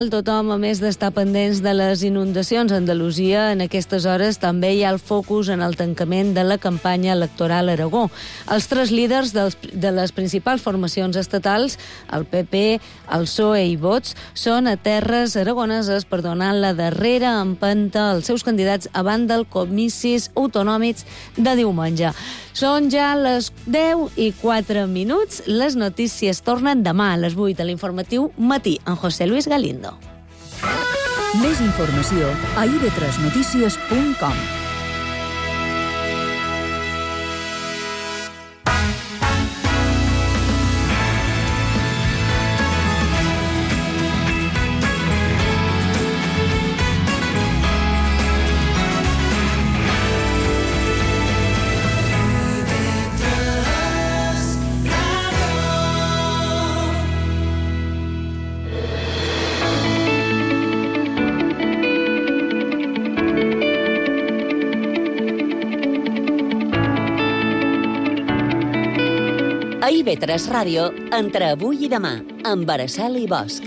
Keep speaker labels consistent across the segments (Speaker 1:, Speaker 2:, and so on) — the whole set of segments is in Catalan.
Speaker 1: Tothom, a més d'estar pendents de les inundacions a Andalusia, en aquestes hores també hi ha el focus en el tancament de la campanya electoral a Aragó. Els tres líders de les principals formacions estatals, el PP, el PSOE i Vox, són a terres aragoneses per donar la darrera empenta als seus candidats abans dels comicis autonòmics de diumenge. Són ja les 10:04. Les notícies tornen demà a les 8 a l'informatiu Matí, amb José Luis Galindo.
Speaker 2: Més informació a ib3notícies.com.
Speaker 3: A IB3 Ràdio, entre avui i demà, amb Araceli Bosch.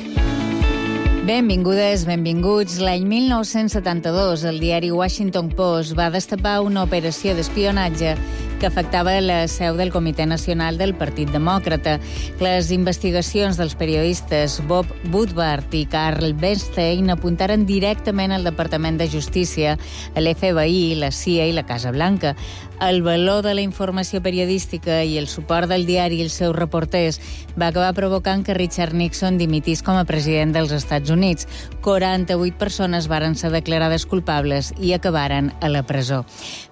Speaker 4: Benvingudes, benvinguts. L'any 1972, el diari Washington Post va destapar una operació d'espionatge que afectava la seu del Comitè Nacional del Partit Demòcrata. Les investigacions dels periodistes Bob Woodward i Carl Bernstein apuntaren directament al Departament de Justícia, l'FBI, la CIA i la Casa Blanca. El valor de la informació periodística i el suport del diari i els seus reporters va acabar provocant que Richard Nixon dimitís com a president dels Estats Units. 48 persones varen ser declarades culpables i acabaren a la presó.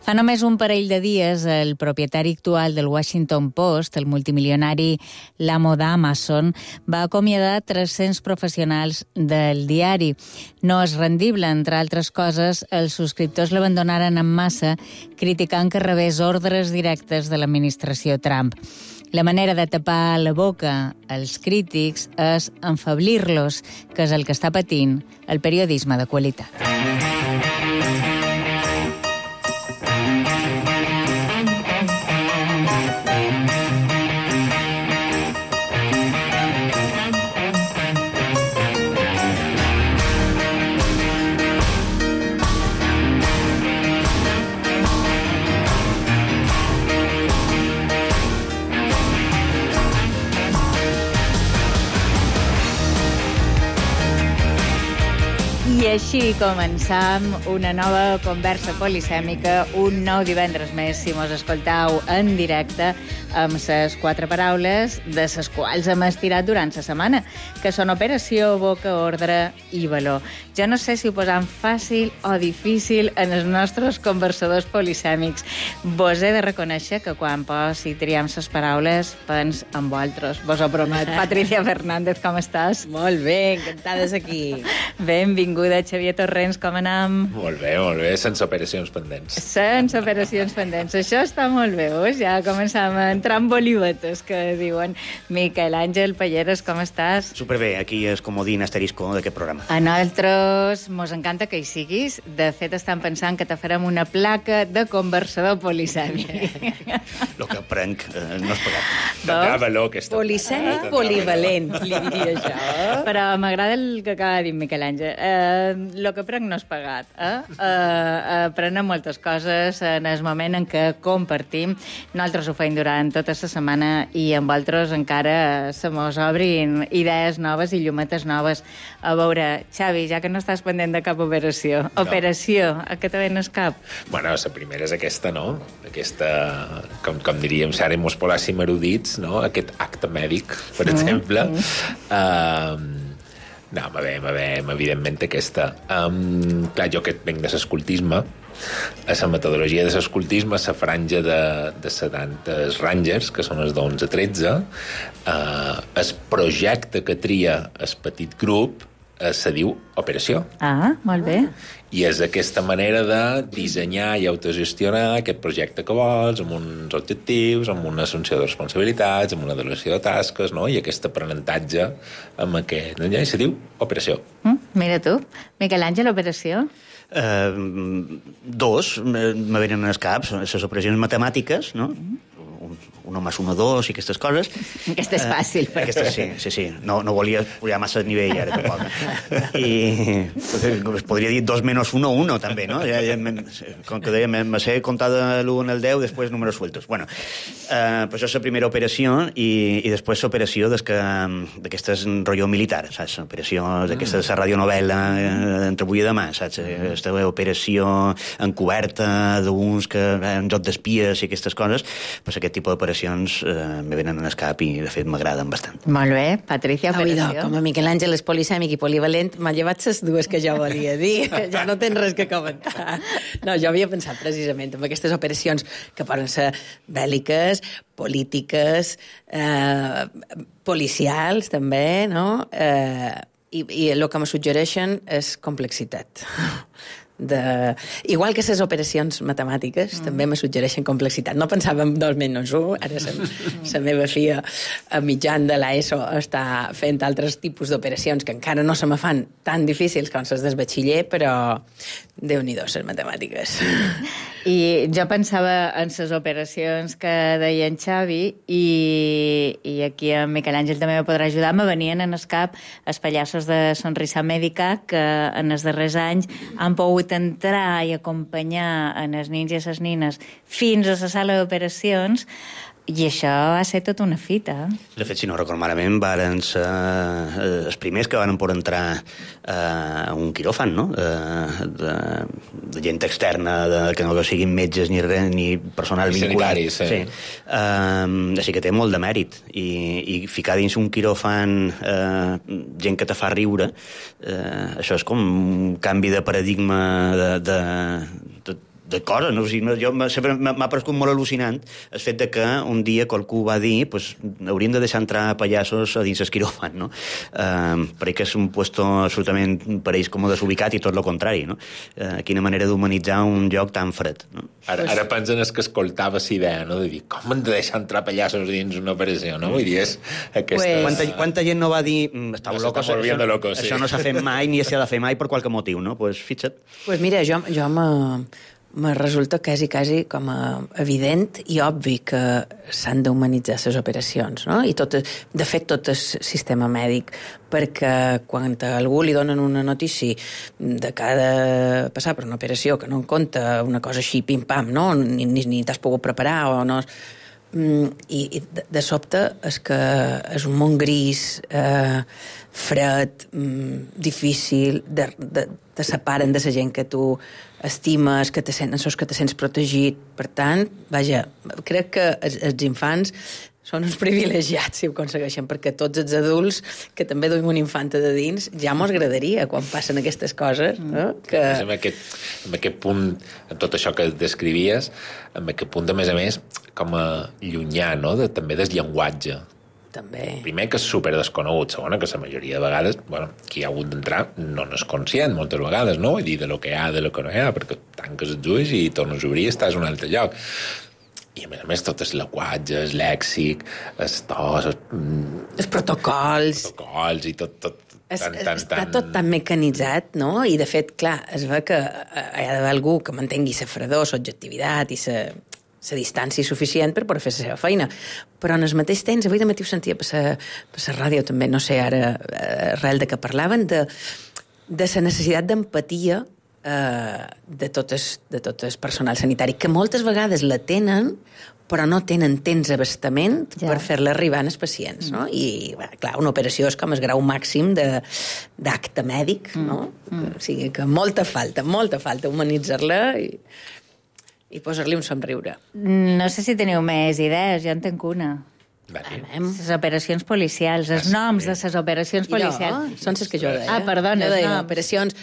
Speaker 4: Fa només un parell de dies, el propietari actual del Washington Post, el multimilionari l'amo d'Amazon, va acomiadar 300 professionals del diari. No és rendible, entre altres coses, els subscriptors l'abandonaren en massa, criticant que rebés ordres directes de l'administració Trump. La manera de tapar la boca als crítics és enfablir-los, que és el que està patint el periodisme de qualitat. I així començam una nova conversa polisèmica, un nou divendres més, si mos escoltau en directe, amb les 4 paraules de les quals hem estirat durant la setmana, que són operació, boca, ordre i valor. Jo no sé si ho posam fàcil o difícil en els nostres conversadors polisèmics. Vos he de reconèixer que quan si triem les paraules, pens en vosaltres. Vos ho promet. Patricia Fernández, com estàs?
Speaker 5: Molt bé, encantades aquí.
Speaker 4: Benvinguda, Xavier Torrents, com anem?
Speaker 6: Molt bé, sense operacions pendents.
Speaker 4: Sense operacions pendents. Això està molt bé, ja començam a entrar en bolivetes, que diuen. Miquel Àngel Palleres, com estàs?
Speaker 7: Superbé, aquí és comodín asterisco d'aquest programa.
Speaker 4: A nosaltres mos encanta que hi siguis. De fet, estan pensant que te farem una placa de conversador polisèmic.
Speaker 7: El que aprenc no és pagat.
Speaker 6: Tindrà valor, aquesta.
Speaker 5: Polisèmic polivalent, li diria jo.
Speaker 4: Però m'agrada el que acaba de dir Miquel Àngel. El que prenc no és pagat. Aprenem moltes coses en el moment en què compartim. Nosaltres ho feim durant tota la setmana i amb altres encara se mos obrin idees noves i llumetes noves. A veure, Xavi, ja que no estàs pendent de cap operació. No. Operació, a què te venes cap?
Speaker 6: Bueno, la primera és aquesta, no? Aquesta, com diríem, si ara mos polàssim erudits, no? Aquest acte mèdic, per exemple. No, evidentment aquesta. Clar, jo que venc de l'escoltisme, a la metodologia de l'escoltisme, la franja de 70 Rangers, que són els d'11 a 13, el projecte que tria el petit grup se diu operació.
Speaker 4: Ah, molt bé.
Speaker 6: I és aquesta manera de dissenyar i autogestionar aquest projecte que vols, amb uns objectius, amb una assumpció de responsabilitats, amb una delegació de tasques, no? I aquest aprenentatge amb aquest... Ja se diu operació.
Speaker 4: Mira tu. Miquel Àngel, operació?
Speaker 7: Dos me venen als caps, les operacions matemàtiques, no? 1 más 1, 2 i aquestes coses.
Speaker 5: Aquesta és fàcil.
Speaker 7: Aquesta sí. No volia pujar massa de nivell ara, tampoc. I podria dir 2 menos 1, 1, també, no? Com que deia, me sé comptar de l'1 al 10, després números sueltos. Bueno, però això és la primera operació i després l'operació d'aquestes rotllo militar, saps? L'operació d'aquesta de la radionovela entre avui i demà, saps? Aquesta operació encoberta d'uns que un joc d'espies i aquestes coses, pues aquest tipus d'operacions me venen en el cap i, de fet, m'agraden bastant.
Speaker 5: Molt bé, Patricia, operació.
Speaker 1: Com a Miquel Àngel és polisèmic i polivalent, m'ha llevat les dues que jo volia dir. Ja no tens res que comentar. No, jo havia pensat precisament en aquestes operacions que poden ser bèl·liques, polítiques, policials, també, no? I el que me suggereixen és complexitat. Igual que les operacions matemàtiques també me suggereixen complexitat. No pensava en 2 menys 1, ara la meva filla a mitjan de l'ESO està fent altres tipus d'operacions que encara no se me fan tan difícils com les del batxiller, però Déu-n'hi-do, les matemàtiques.
Speaker 4: I jo pensava en les operacions que deia en Xavi i aquí en Miquel Àngel també me podrà ajudar. Me venien en el cap els pallassos de Sonrisa Mèdica que en els darrers anys han pogut entrar i acompanyar en els nins i les nines fins a la sala d'operacions. I això va ser tota una fita.
Speaker 7: De fet, si no recordo malament, varen ser els primers que van poder entrar a un quiròfan, no? De gent externa, que no siguin metges ni res, ni personal vinculat. Sí. Així que té molt de mèrit. I ficar dins un quiròfan gent que te fa riure, això és com un canvi de paradigma de coses, no? O sigui, jo sempre m'ha paregut molt al·lucinant el fet de que un dia qualcú va dir pues, hauríem de deixar entrar pallassos a dins el quiròfan, no? Perquè que és un puesto absolutament per ells com desubicat i tot el contrari, no? Quina manera d'humanitzar un lloc tan fred, no?
Speaker 6: Ara pensen que escoltava la idea, no? De dir, com hem de deixar entrar pallassos dins una operació, no? Vull dir, és aquesta...
Speaker 7: Quanta gent no va dir
Speaker 6: locos,
Speaker 7: això no s'ha fet mai ni s'ha de fer mai per qualque motiu, no? Pues fixa't.
Speaker 1: Pues mira, jo me resulta quasi com a evident i obvi que s'han d'humanitzar les operacions, no? I de fet, tot el sistema mèdic, perquè quan a algú li donen una notícia de que ha de passar per una operació que no en compta una cosa així pim-pam, no? Ni t'has pogut preparar o no... I de sobte és que és un món gris, fred, difícil, te separen de la gent que tu estimes, que te sents protegit. Per tant, vaja, crec que els infants són uns privilegiats si ho aconsegueixen, perquè tots els adults que també duim una infanta de dins ja mos agradaria quan passen aquestes coses, no? Que...
Speaker 6: En aquest punt, en tot això que descrivies, en aquest punt, a més, com a llunyà, no? També del llenguatge.
Speaker 1: També.
Speaker 6: Primer, que és super desconegut. Segona, que la majoria de vegades, qui ha hagut d'entrar no n'és conscient, moltes vegades, no? I dir de lo que hi ha, de lo que no hi ha, perquè tanques els ulls i tornes a obrir i estàs en un altre lloc. I, a més, tot el llenguatge, el lèxic, els tos...
Speaker 1: Els protocols
Speaker 6: i tot...
Speaker 1: Està tot tan mecanitzat, no? I, de fet, clar, es ve que hi ha d'haver algú que mantengui la fredor, l'objectivitat i la distància suficient per poder fer la seva feina. Però en el mateix temps, avui de matí ho sentia per la ràdio també, no sé ara arrel de què parlaven, de la necessitat d'empatia de tot el personal sanitari, que moltes vegades la tenen, però no tenen temps abastament per fer-la arribar als pacients, no? I, clar, una operació és com el grau màxim d'acte mèdic, no? O sigui, que molta falta humanitzar-la i posar-li un somriure.
Speaker 4: No sé si teniu més idees, jo en tenc una. Les operacions policials, els noms de les operacions policials.
Speaker 1: Són les que jo deia.
Speaker 4: Perdona,
Speaker 1: jo deia operacions...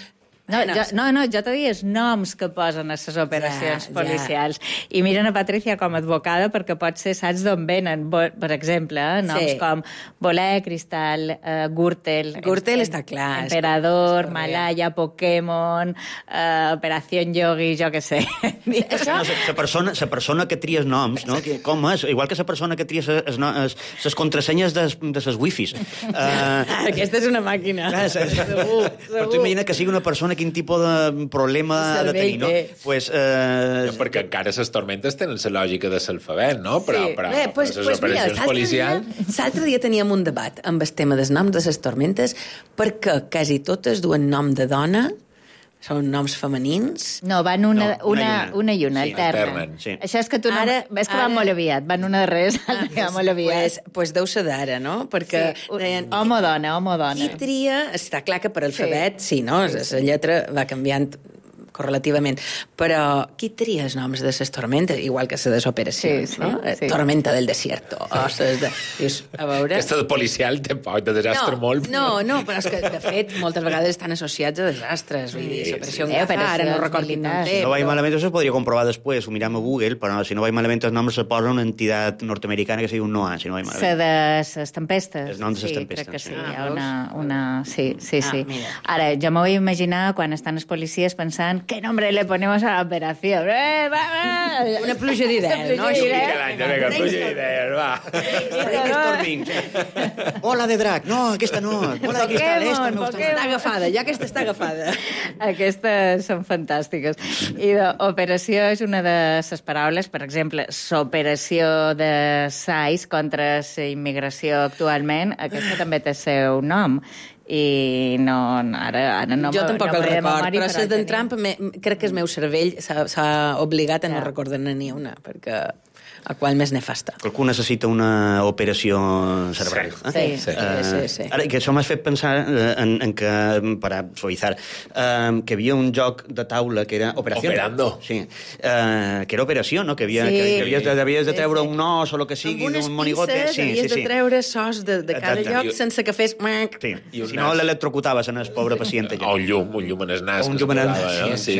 Speaker 4: No, jo te dies noms que posen a les operacions policials. I miren a Patricia com a advocada perquè potser saps d'on venen. Per exemple, noms com Voler, Cristal, Gürtel...
Speaker 1: Gürtel està clar.
Speaker 4: Emperador, Malaya, Pokémon, Operació Yogi, jo què sé.
Speaker 7: La persona que tries noms, no? Com és? Igual que la persona que tries les contrasenyes de les wifis.
Speaker 1: Aquesta és una màquina.
Speaker 7: Segur. Però tu imagina que sigui una persona quin tipus de problema ha de tenir, no? Pues,
Speaker 6: perquè encara les tormentes tenen la lògica de l'alfabet, no? Però les operacions policials...
Speaker 8: L'altre dia teníem un debat amb el tema dels noms de les tormentes, perquè quasi totes duen nom de dona, són noms femenins.
Speaker 4: No, van una i una,
Speaker 6: sí,
Speaker 4: alternen.
Speaker 7: Sí.
Speaker 4: Això és que tu ara, ves que van molt aviat, van una darrere l'altra que va molt aviat.
Speaker 8: Pues deu ser d'ara, no? Perquè
Speaker 4: sí. Home o dona.
Speaker 8: Qui tria... Està clar que per alfabet, sí, no? La lletra va canviant correlativament. Però qui tria els noms de les tormentes? Igual que les de les operacions, no? Sí. Tormenta del desierto. Dius, a veure...
Speaker 6: Aquesta de policial té poc de desastre molt.
Speaker 8: No, però és que, de fet, moltes vegades estan associats a desastres. Vull dir, l'operació Gaza, ara no record quin nom té.
Speaker 7: Si no vaig malament, això es podria comprovar després, ho miram a Google, però si no vaig malament, els noms se posa una entitat nord-americana que sigui un NOAA, si no vaig malament.
Speaker 4: La de les tempestes.
Speaker 7: Els noms de les tempestes.
Speaker 4: Crec que sí, hi ha una... Sí. Ara, jo m'ho vull imaginar quan estan els policies pensant ¿qué nombre le ponemos a la operación?
Speaker 8: Una pluja d'idees, no?
Speaker 6: Vinga, pluja d'idees, va.
Speaker 7: Bola de drac, no, aquesta no. Bola de cristal, esta no.
Speaker 8: Està agafada, ja aquesta està agafada.
Speaker 4: Aquestes són fantàstiques. I operació és una de les paraules, per exemple, l'operació de SAIS contra la immigració actualment, aquesta també té el seu nom. I ara no...
Speaker 8: Jo tampoc el record, però les d'en Trump crec que el meu cervell s'ha obligat a no recordar-ne ni una, perquè a qual més nefasta.
Speaker 7: Qualcú necessita una operació cerebral.
Speaker 8: Sí.
Speaker 7: Ara, que això m'ha fet pensar en que, per suavitzar, que havia un joc de taula que era Operació.
Speaker 6: Operando.
Speaker 7: Sí. Que era operació, no? Que havies de treure un os o el que sigui d'un monigote.
Speaker 8: Amb unes pisses havies de treure sos de cada lloc sense que fes...
Speaker 7: Sí. Si no, l'electrocutaves en el pobre pacient.
Speaker 6: O un llum en el nas.
Speaker 7: O un llum en el nas.
Speaker 6: Sí.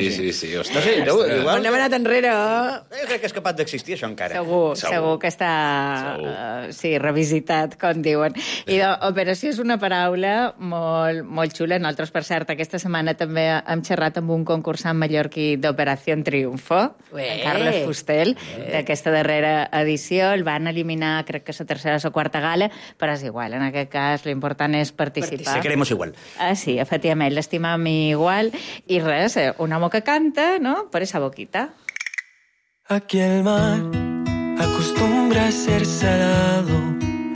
Speaker 7: Igual...
Speaker 8: N'hem anat enrere.
Speaker 7: Jo crec que és capaç d'existir, això, encara.
Speaker 4: Segur que està revisitat, com diuen. I operació és una paraula molt xula. Nosaltres, per cert, aquesta setmana també hem xerrat amb un concursant mallorquí d'Operació Triunfo, en Carles Fustel, d'aquesta darrera edició. El van eliminar, crec que és la tercera o la quarta gala, però és igual. En aquest cas, l'important és participar.
Speaker 7: Se queremos igual.
Speaker 4: Sí, efectivament, l'estimam igual. I res, un home que canta, no?, per esa boquita.
Speaker 9: Aquí el mar acostumbra a ser salado,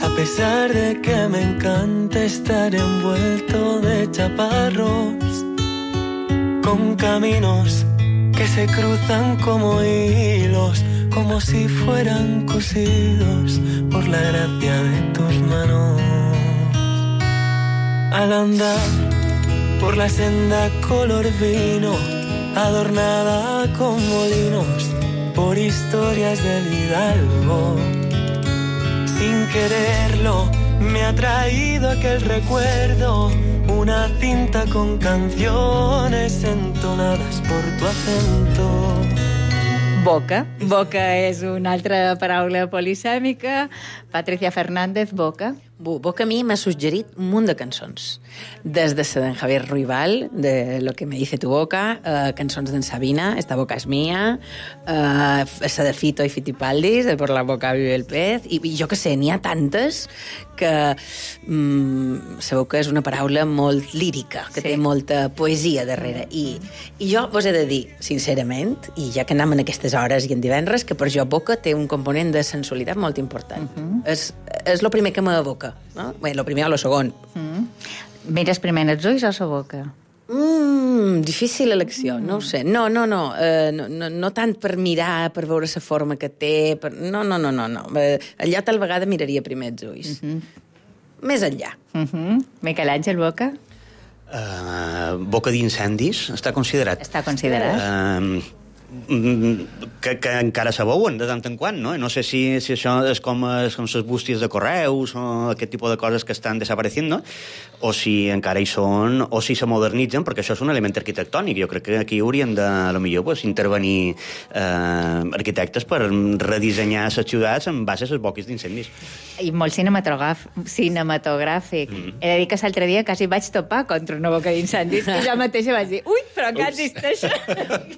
Speaker 9: a pesar de que me encanta estar envuelto de chaparros, con caminos que se cruzan como hilos, como si fueran cosidos por la gracia de tus manos. Al andar por la senda color vino, adornada con molinos, por historias del Hidalgo, sin quererlo me ha traído aquel recuerdo, una cinta con canciones entonadas por tu acento.
Speaker 4: Boca. Boca és una altra paraula polisèmica. Patricia Fernández, Boca.
Speaker 8: Boca a mi m'ha suggerit un munt de cançons. Des de d'en Javier Ruibal, de Lo que me dice tu boca, cançons d'en Sabina, Esta boca és mía, esa de Fito i Fitipaldis, de Por la boca vive el pez, i jo que sé, n'hi ha tantes que sabeu que és una paraula molt lírica, que té molta poesia darrere. I jo vos he de dir, sincerament, i ja que anem en aquestes hores i en divendres, que per jo Boca té un component de sensualitat molt important. És el primer que m'evoca. No? Bé, el primer o el segon.
Speaker 4: Mires primer els ulls o la boca?
Speaker 8: Difícil elecció, no ho sé. No tant per mirar, per veure la forma que té. No. Allà tal vegada miraria primer els ulls. Més enllà.
Speaker 4: Miquel Àngel, Boca?
Speaker 7: Boca d'incendis està considerat.
Speaker 4: Està considerat.
Speaker 7: Que encara se veuen de tant en quant, no? No sé si això és com les bústies de correus o aquest tipus de coses que estan desapareixent, no? O si encara hi són, o si se modernitzen, perquè això és un element arquitectònic. Jo crec que aquí haurien de, a lo millor, intervenir arquitectes per redissenyar les ciutats en base a les boques d'incendis.
Speaker 4: I molt cinematogràfic. He de dir que l'altre dia quasi vaig topar contra una boca d'incendis i jo mateixa vaig dir, ui, però encara existeix.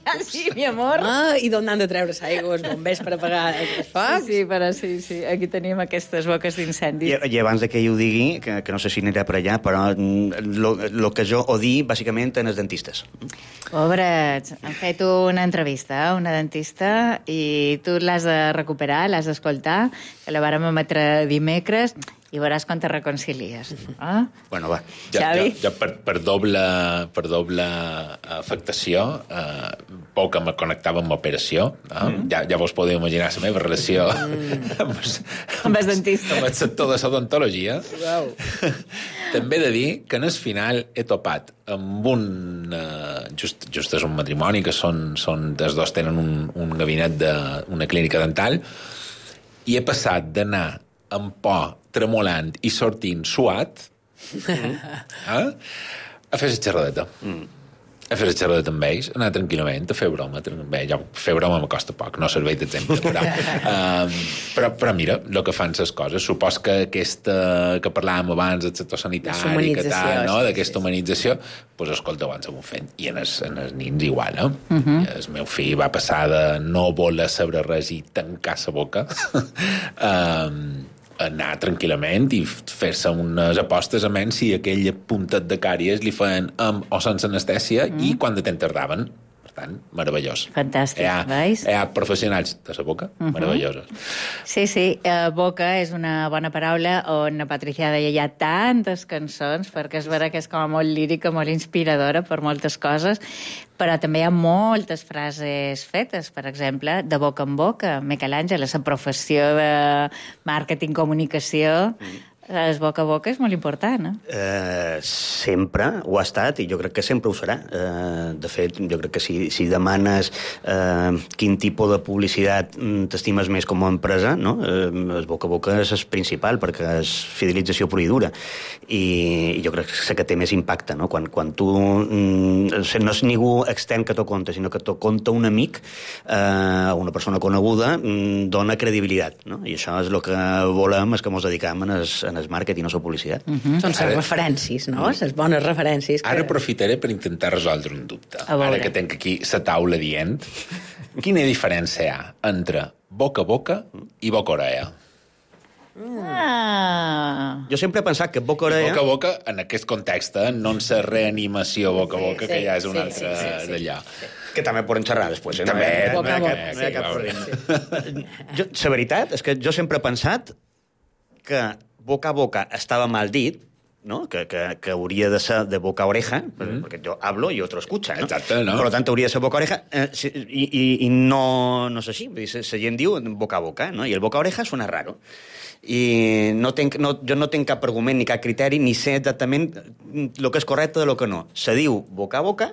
Speaker 4: Quasi, mi amor. amor.
Speaker 8: I d'on han de treure l'aigua, els bombers per apagar els focs.
Speaker 4: Sí, però sí. Aquí tenim aquestes boques d'incendi.
Speaker 7: I abans de que jo ho digui, que no sé si anirà per allà, però el que jo odi, bàsicament, en els dentistes.
Speaker 4: Pobrets, han fet una entrevista a una dentista i tu l'has de recuperar, l'has d'escoltar, que la vàrem emetre dimecres, i veuràs quan te reconcilies.
Speaker 7: Bueno, va.
Speaker 4: Xavi?
Speaker 6: Jo per doble afectació, poc que me connectava amb l'operació, ja vos podeu imaginar la meva relació
Speaker 4: amb el dentista.
Speaker 6: Amb el sector de l'odontologia. També he de dir que en el final he topat amb just és un matrimoni, que són els dos tenen un gabinet d'una clínica dental, i he passat d'anar amb por, tremolant i sortint suat a fer la xerradeta. A fer la xerradeta amb ells, anar tranquil·lament, a fer broma. Fer broma me costa poc, no serveix d'exemple. Però mira, el que fan les coses. Supos que aquesta que parlàvem abans del sector sanitari, d'aquesta humanització, doncs escolta, ho han sabut fent. I en els nins igual, El meu fill va passar de no voler saber res i tancar la boca anar tranquil·lament i fer-se unes apostes a menys si aquell puntet de càries li feien amb o sense anestèsia i quan de temps tardaven. Per tant, meravellós.
Speaker 4: Fantàstic, veus?
Speaker 6: Hi ha professionals de la boca meravellosos.
Speaker 4: Sí, boca és una bona paraula on la Patricia deia hi ha tantes cançons, perquè és vera que és com molt lírica, molt inspiradora per moltes coses, però també hi ha moltes frases fetes, per exemple, de boca en boca. Miquel Àngel, la professió de màrqueting-comunicació, el boca a boca és molt important, no?
Speaker 7: Sempre ho ha estat i jo crec que sempre ho serà. De fet, jo crec que si demanes quin tipus de publicitat t'estimes més com a empresa, no? El boca a boca és el principal, perquè és fidelització pura i dura. I jo crec que té més impacte, no? Quan tu no és ningú extern que t'ho conta, sinó que t'ho conta un amic, una persona coneguda, dona credibilitat, no? I això és el que volem, és que ens dedicam en el màrqueting i no la publicitat.
Speaker 8: Són les referències, no? Les bones referències.
Speaker 6: Ara aprofitaré per intentar resoldre un dubte. Ara que tenc aquí la taula dient, quina diferència hi ha entre boca a boca i boca a orella?
Speaker 7: Jo sempre he pensat que boca a orella...
Speaker 6: Boca a boca, en aquest context, no en la reanimació boca a boca, que ja és una altra d'allò.
Speaker 7: Que també poden xerrar després.
Speaker 6: També.
Speaker 7: No hi ha cap problema. La veritat és que jo sempre he pensat que boca a boca estava mal dit, ¿no? Que hauria de ser de boca a oreja, perquè jo hablo i otro escucha, ¿no?
Speaker 6: Exacte, no?
Speaker 7: Per tant, hauria de ser boca a oreja, i no és així. La gent diu boca a boca, no? I el boca a oreja suena raro. I jo no tinc cap argument ni cap criteri, ni sé exactament el que és correcte de lo que no. Se diu boca a boca,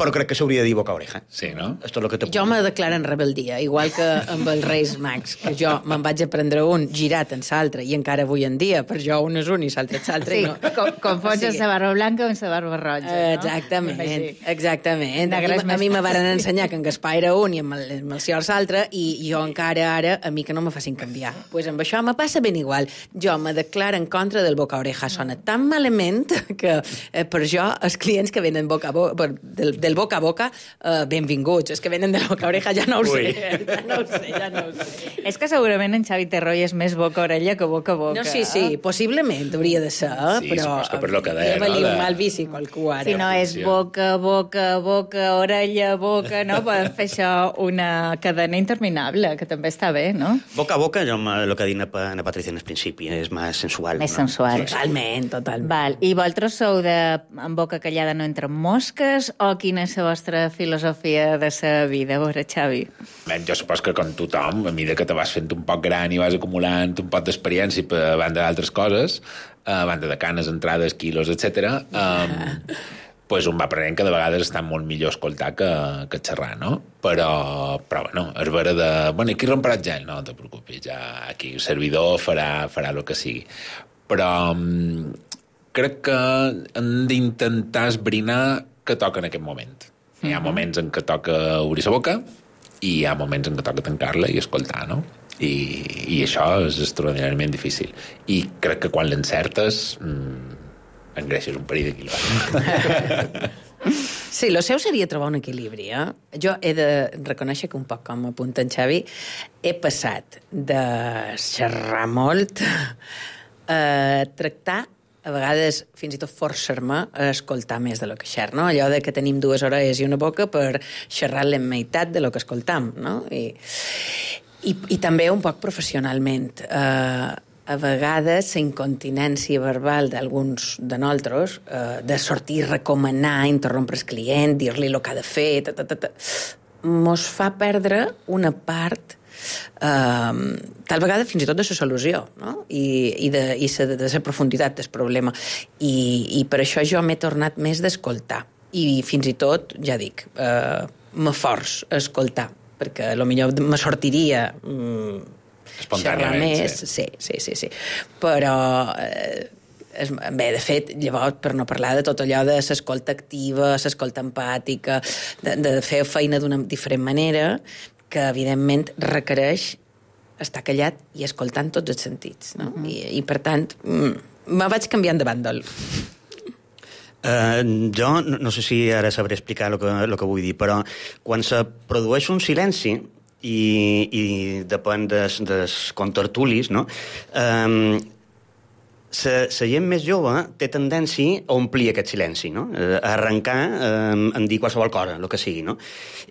Speaker 7: però crec que s'hauria de dir boca a oreja.
Speaker 6: Sí, no?
Speaker 7: Esto es lo que
Speaker 8: Jo me declaro en rebeldia, igual que amb els Reis Mags, que jo me'n vaig a prendre un girat en l'altre, i encara avui en dia, per jo un és un i l'altre és l'altre.
Speaker 4: Sí, no. Confons la barba blanca amb la barba roja, no?
Speaker 8: Exactament. A mi me van ensenyar que en Gaspar era un i amb el Cior l'altre, i jo encara ara, a mi que no me facin canviar. Pues amb això me passa ben igual. Jo me declaro en contra del boca a oreja. Sona tan malament que per jo els clients que venen boca a boca, del boca a boca, benvinguts. Els que venen de la boca a oreja ja no ho sé. Ja no ho sé.
Speaker 4: És que segurament en Xavi Terroy és més boca a orella que boca a boca.
Speaker 8: No, sí, possiblement hauria de ser, però...
Speaker 6: Sí, per lo que deia,
Speaker 8: no? Un mal vici qualcú ara.
Speaker 4: Si no és boca, orella, boca, no? Podem fer això una cadena interminable, que també està bé, no?
Speaker 7: Boca a boca, el que ha dit na Patricia en el principi, és més sensual.
Speaker 4: Més sensual.
Speaker 8: Totalment.
Speaker 4: Val. I vosaltres sou de en boca callada no entren mosques, o quina és la vostra filosofia de la vida? A veure, Xavi.
Speaker 6: Jo supos que com tothom, a mesura que te vas fent un poc gran i vas acumulant un poc d'experiència a banda d'altres coses, a banda de canes, entrades, quilos, etc., pues un va aprenent que de vegades està molt millor escoltar que xerrar, no? Però bueno, és vera de... Bueno, i aquí romperà el gel? No te preocupis, ja aquí el servidor farà el que sigui. Però crec que hem d'intentar esbrinar que toca en aquest moment. Hi ha moments en què toca obrir la boca i hi ha moments en què toca tancar-la i escoltar, no? I això és extraordinàriament difícil. I crec que quan l'encertes engreixes un parell de quilos.
Speaker 8: Sí, el seu seria trobar un equilibri. Jo he de reconèixer que un poc com apunta en Xavi, he passat de xerrar molt a tractar, a vegades fins i tot forçar-me a escoltar més de lo que xer, no? Allò de que tenim 2 orelles i una boca per xerrar la meitat de lo que escoltam, no? I també un poc professionalment. A vegades la incontinència verbal d'alguns de nosaltres, de sortir, recomanar, interrompre el client, dir-li el que ha de fer, mos fa perdre una part, tal vegada fins i tot de la solució, no? I de la profunditat del problema. I per això jo m'he tornat més d'escoltar. I fins i tot, ja dic, m'aforç a escoltar, perquè potser me sortiria...
Speaker 6: espontàniament,
Speaker 8: sí. Però, bé, de fet, llavors, per no parlar de tot allò de l'escolta activa, l'escolta empàtica, de fer feina d'una diferent manera, que, evidentment, requereix estar callat i escoltar en tots els sentits, no? I per tant, me vaig canviant de bàndol.
Speaker 7: Jo no sé si ara sabré explicar el que vull dir, però quan se produeix un silenci, i depèn dels contertulis, no? La gent més jove té tendència a omplir aquest silenci, no? A arrencar en dir qualsevol cosa, el que sigui, no?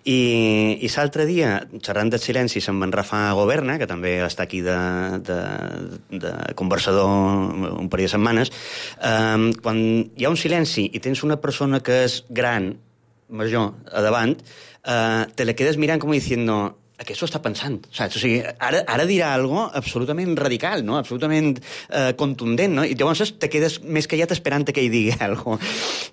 Speaker 7: I l'altre dia, xerrant del silenci, se'm va enrafar Governa, que també està aquí de conversador un parell de setmanes. Quan hi ha un silenci i tens una persona que és gran, major, a davant, te la quedes mirant com diciendo... ¿A què s'ho està pensant? Saps? O sigui, ara dirà algo absolutament radical, no? Absolutament contundent, no? I llavors te quedes més callat esperant que ell digui algo.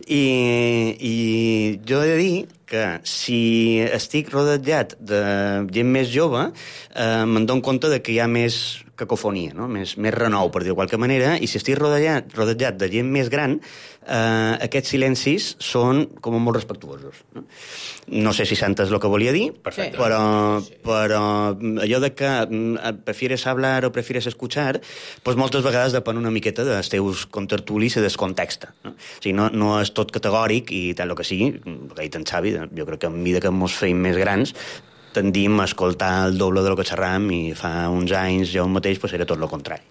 Speaker 7: I jo he de dir que si estic rodejat de gent més jove, me'n dono compte de que hi ha més cacofonia, no? Més renou, per dir-ho de qualque manera, i si estic rodejat de gent més gran, aquests silencis són com molt respectuosos. No sé si s'entès el que volia dir,
Speaker 6: perfecte,
Speaker 7: però allò de que prefieres hablar o prefieres escuchar, pues moltes vegades depèn una miqueta dels teus contertulis i del context. No? O sigui, no és tot categòric i tal el que sigui, el que ha dit en Xavi, jo crec que a mesura que ens feim més grans tendim a escoltar el doble del que xerram i fa uns anys jo mateix pues, era tot el contrari.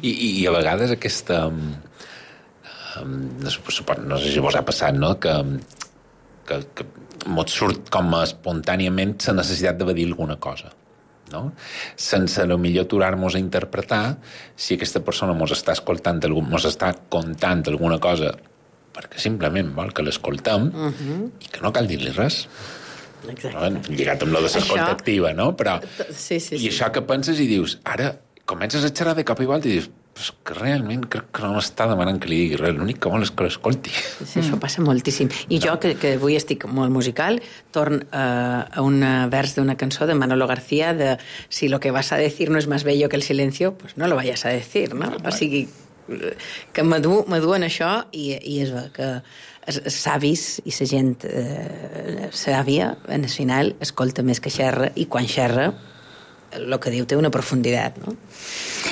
Speaker 6: I a vegades aquesta... no sé si vos ha passat, no? Que mos surt com espontàniament la necessitat de dir alguna cosa, no? Sense millor aturar-nos a interpretar si aquesta persona mos està escoltant, mos està contant alguna cosa perquè simplement vol que l'escoltem i que no cal dir-li res. No? Lligat amb la de l'escolta activa, no? Però,
Speaker 8: sí.
Speaker 6: I això que penses i dius, ara comences a xerrar de cop i volta i dius, pues que realment crec que no m'està demanant que li digui res, l'únic que vol és que l'escolti.
Speaker 8: Sí, això passa moltíssim. I jo, que avui estic molt musical, torn a un vers d'una cançó de Manolo García de si lo que vas a decir no es más bello que el silencio, pues no lo vayas a decir, no? O sigui, que m'aduen això i és que els savis i la gent sàvia, en el final, escolta més que xerra i quan xerra el que diu té una profunditat, no?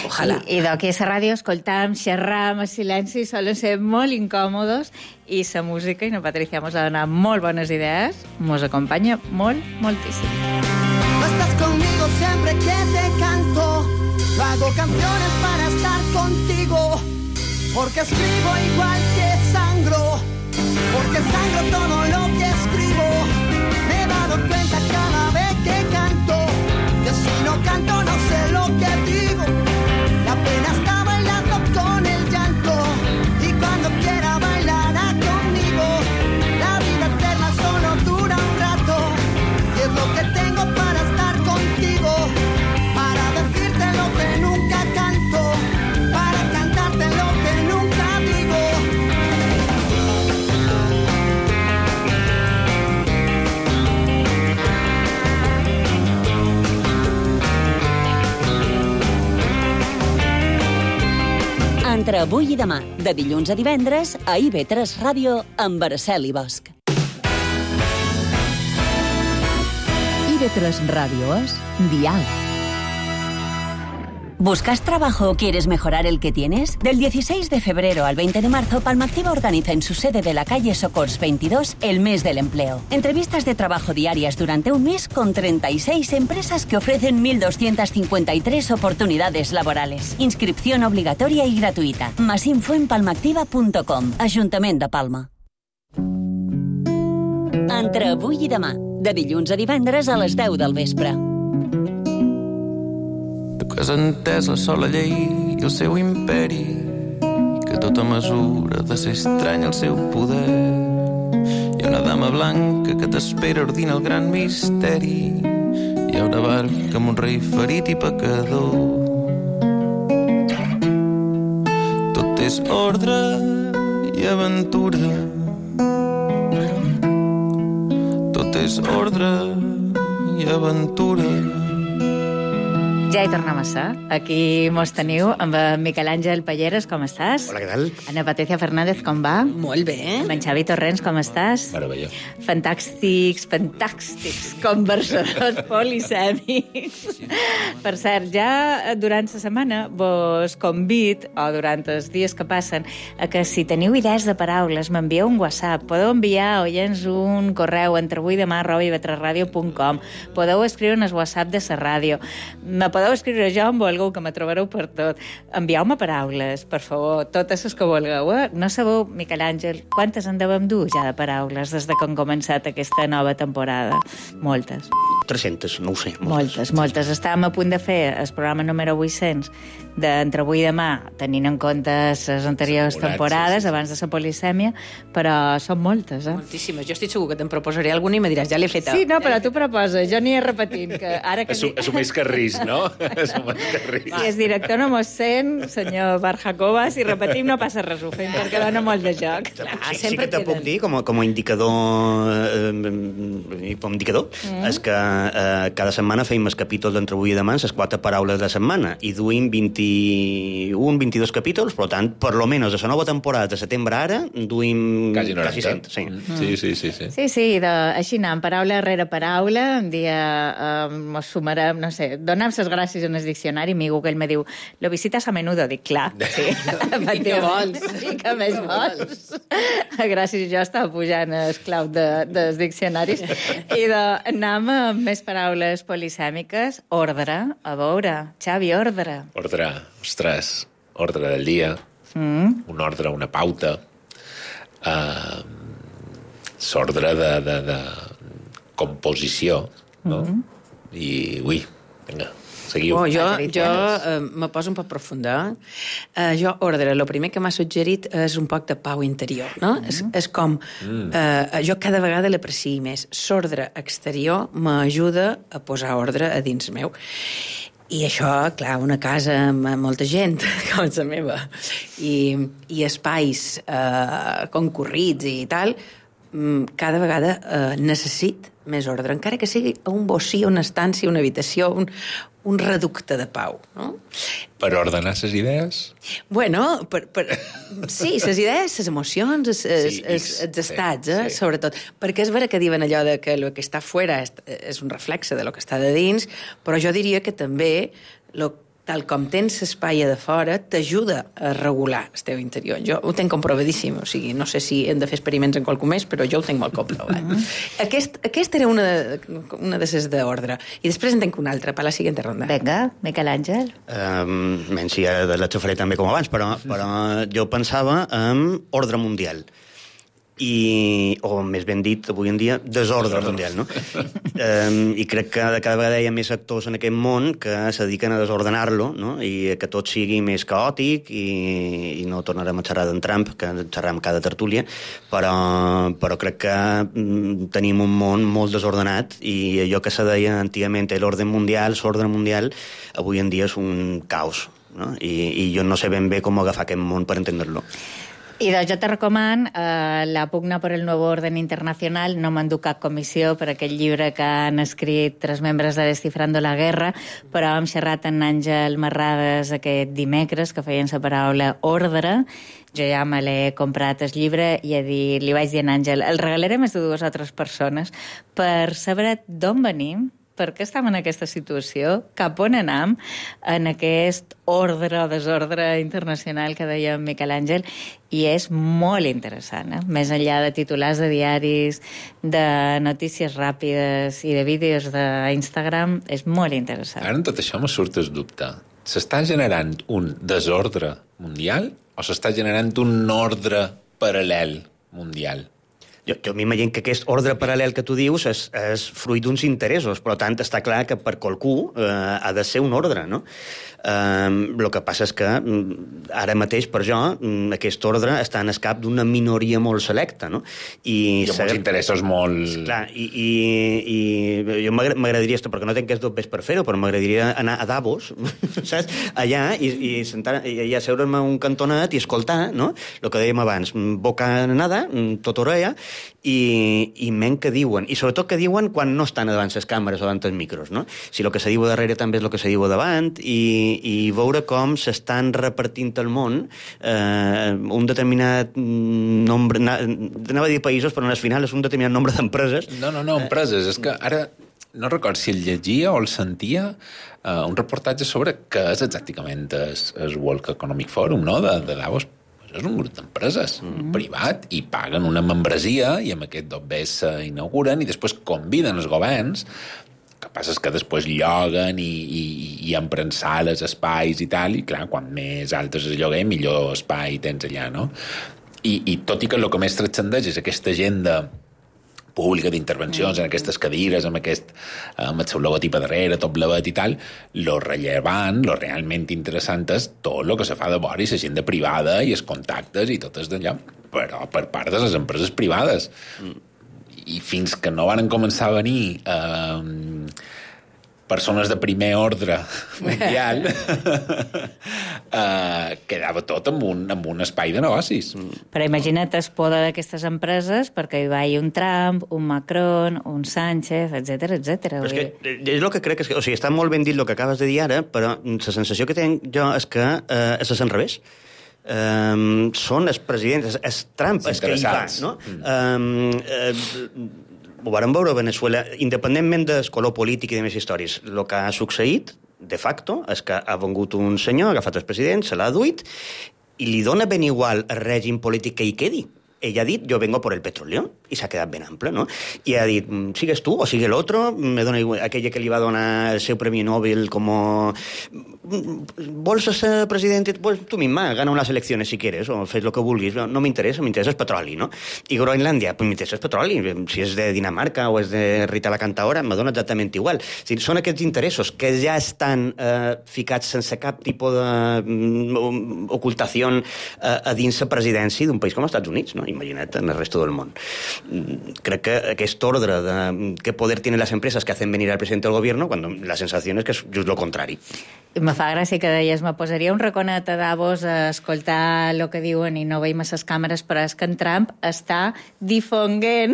Speaker 8: Ojalà.
Speaker 4: I d'aquí a la ràdio escoltam, xerram, el silenci solen ser molt incòmodos i la música, i no, Patricia, mos ha donat molt bones idees, mos acompanya moltíssim.
Speaker 10: Estás conmigo siempre que te canto, hago canciones para estar contigo, porque escribo igual que sangro, porque sangro todo lo que escribo. Me he dado cuenta cada vez que canto, que si no canto no sé lo que digo. La pena está bailando con el llanto, y cuando quiera bailará conmigo. La vida eterna solo dura un rato, y es lo que tengo para estar contigo, para decirte lo que nunca canto, para cantarte lo que nunca digo.
Speaker 3: Entre avui i demà, de dilluns a divendres, a IB3 Ràdio, amb Araceli Bosch.
Speaker 2: IB3 Ràdio és Diàleg.
Speaker 3: ¿Buscas trabajo o quieres mejorar el que tienes? Del 16 de febrero al 20 de marzo, Palmactiva organiza en su sede de la calle Socors 22 el mes del empleo. Entrevistas de trabajo diarias durante un mes con 36 empresas que ofrecen 1.253 oportunidades laborales. Inscripción obligatoria y gratuïta. Más info en palmactiva.com. Ajuntament de Palma. Entre avui i demà, de dilluns a divendres a les 10 del vespre.
Speaker 9: Que has entès la sola llei i el seu imperi, que tota mesura de ser estrany el seu poder. Hi ha una dama blanca que t'espera ordina el gran misteri. Hi ha una barca amb un rei ferit i pecador. Tot és ordre i aventura. Tot és ordre i aventura.
Speaker 4: Ja hi tornem a ser. Aquí mos teniu amb en Miquel Àngel Palleres, com estàs?
Speaker 7: Hola, què tal?
Speaker 4: Ana Patricia Fernández, com va?
Speaker 8: Molt bé.
Speaker 4: Amb en Xavi Torrents, com estàs?
Speaker 6: Meravellós.
Speaker 4: Fantàstics conversadors polisèmics. Per cert, ja durant la setmana vos convid, o durant els dies que passen, a que si teniu idees de paraules m'envieu un WhatsApp. Podeu enviar oients un correu entre avuidemà@ivetresradio.com. Podeu escriure en el WhatsApp de la ràdio. Me podeu escriure jo amb algú que me trobareu per tot. Envieu-me paraules, per favor, totes les que vulgueu. No sabeu, Miquel Àngel, quantes en devem dur ja de paraules des que han començat aquesta nova temporada? Moltes.
Speaker 7: 300, no ho sé.
Speaker 4: Moltes. Estàvem a punt de fer el programa número 800 d'Entre avui i demà, tenint en compte les anteriors temporades, sí. Abans de la polisèmia, però són moltes,
Speaker 8: Moltíssimes. Jo estic segur que te'n proposaré alguna i me diràs, ja l'he feta.
Speaker 4: Sí, no, però tu proposes, jo n'hi he repetint. Que ara que
Speaker 6: Assumeix que risc, no? Assumeix que risc.
Speaker 4: Si el director no mos sent, senyor Barjacova, si repetim no passa res, ho fem perquè dona molt de joc.
Speaker 7: Sí que te puc dir, com a indicador, és que cada setmana feim el capítol d'Entre avui i demà, les 4 paraules de setmana, i duim 22 capítols, per tant, per lo menos de la nova temporada de setembre ara, duim quasi 100.
Speaker 6: Sí.
Speaker 4: Sí, així anem, paraula rere paraula, un dia mos sumarem, no sé, donem les gràcies en el diccionari, mi Google me diu, lo visitas a menudo, dic, clar, sí.
Speaker 8: I què vols?
Speaker 4: I què més vols? Gràcies, jo estava pujant el clau dels diccionaris. I anem amb més paraules polisèmiques. Ordre, a veure, Xavi, ordre.
Speaker 6: Ordre, ostres, ordre del dia, un ordre, una pauta, s'ordre de composició, no? I, vinga, seguiu.
Speaker 8: Jo me poso un poc profunda. Jo, ordre, el primer que m'ha suggerit és un poc de pau interior, no? És com... jo cada vegada l'aprecio més. L'ordre exterior m'ajuda a posar ordre a dins meu. I això, clar, una casa amb molta gent, com la meva, i espais concurrits i tal, cada vegada necessit més ordre, encara que sigui un bocí, una estància, una habitació, un reducte de pau, no?
Speaker 6: Per ordenar les idees?
Speaker 8: Bueno, sí, les idees, les emocions, els estats, sobretot. Perquè és vera que diuen allò de que el que està fora és un reflexe de lo que està de dins, però jo diria que també tal com tens l'espai de fora, t'ajuda a regular el teu interior. Jo ho tenc comprovadíssim, o sigui, no sé si hem de fer experiments en qualcú més, però jo ho tenc molt comprovat. Aquesta era una de les d'ordre. I després en tenc una altra, per la següent ronda.
Speaker 4: Vinga, Miquel Àngel.
Speaker 7: Menys si ja la xufaré també com abans, però jo pensava en ordre mundial. O més ben dit, avui en dia, desordre mundial, no? I crec que cada vegada hi ha més actors en aquest món que se dediquen a desordenar-lo, no? I que tot sigui més caòtic i no tornarem a xerrar d'en Trump, que xerrem cada tertúlia, però crec que tenim un món molt desordenat i allò que se deia antigament l'ordre mundial, avui en dia és un caos, no? I jo no sé ben bé com agafar aquest món per entendre-lo.
Speaker 4: I doncs jo te recoman La pugna por el nuevo orden internacional. No m'enduc cap comissió per aquell llibre que han escrit 3 membres de Descifrando la Guerra, però hem xerrat amb Àngel Marrades aquest dimecres, que feien la paraula ordre. Jo ja me l'he comprat el llibre i li vaig dir a Àngel, el regalaré més de 2 o 3 persones per saber d'on venim, per què estem en aquesta situació, cap on anem en aquest ordre o desordre internacional que deia Miquel Àngel, i és molt interessant, més enllà de titulars de diaris, de notícies ràpides i de vídeos d'Instagram, és molt interessant.
Speaker 6: Ara en tot això me surt el dubte. S'està generant un desordre mundial o s'està generant un ordre paral·lel mundial?
Speaker 7: Jo m'imagino que aquest ordre paral·lel que tu dius és fruit d'uns interessos, per tant, està clar que per qualcú ha de ser un ordre, no? El que passa és que ara mateix, per jo, aquest ordre està en el cap d'una minoria molt selecta, no?
Speaker 6: I amb uns interessos molt...
Speaker 7: Clar, i jo m'agradaria, perquè no tenc els dobbers per fer-ho, però m'agradaria anar a Davos, saps? Allà, i asseure'm a un cantonet i escoltar, no? El que dèiem abans, boca nada, tot orella, i menys que diuen, i sobretot que diuen quan no estan davant les càmeres o davant els micros, no? Si el que se diu darrere també és el que se diu davant, i veure com s'estan repartint al món un determinat nombre, anava a dir països, però al final és un determinat nombre d'empreses.
Speaker 6: No, empreses. És que ara no recordo si el llegia o el sentia un reportatge sobre què és exactament el World Economic Forum, no?, de Davos. És un grup d'empreses privat i paguen una membresia i amb aquest dobbers s'inauguren i després conviden els governs. El que passa és que després lloguen i empren sales, espais i tal, i clar, quan més altes es lloguer, millor espai tens allà, no? I tot i que el que més transcendeix és aquesta agenda pública d'intervencions en aquestes cadires, amb el seu logotip a darrere, tot blavet i tal, lo rellevant, lo realment interessant és tot el que se fa de vora i l'agenda privada i els contactes i tot és d'allà, però per part de les empreses privades. I fins que no van començar a venir persones de primer ordre mundial, quedava tot en un espai de negocis.
Speaker 4: Però imagina't el poder d'aquestes empreses perquè hi vagi un Trump, un Macron, un Sánchez, etc.
Speaker 7: Però és que és el que crec que... O sigui, està molt ben dit el que acabes de dir ara, però la sensació que tinc jo és que és al revés. Són els presidents, és Trump és que hi va, no? Ho vàrem veure a Venezuela, independentment del color polític i de més històries. El que ha succeït, de facto, és que ha vengut un senyor, ha agafat el president, se l'ha duit, i li dona ben igual el règim polític que hi quedi. Ell ha dit, jo vengo por el petróleo, i s'ha quedat ben ample, no? I ha dit, sigues tu o sigue el otro, me dona igual, aquella que li va donar el seu premi Nobel como... Vols ser president? Pues tu misma, gana unas elecciones si quieres, o fes lo que vulguis. No m'interessa, m'interessa el petroli, no? I Groenlàndia, pues m'interessa el petroli. Si és de Dinamarca o és de Rita la Cantaora, me dona exactament igual. O sigui, són aquests interessos que ja estan ficats sense cap tipus d'ocultació a dins la presidència d'un país com els Estats Units, no? Imagina't en el resto del món. Crec que aquest ordre de qué poder tienen las empresas que hacen venir al presidente del gobierno, cuando la sensación es que es just lo contrari.
Speaker 4: Me fa gràcia que deies, me posaria un raconet a Davos a escoltar el que diuen i no veiem les càmeres, però és que en Trump està difonguent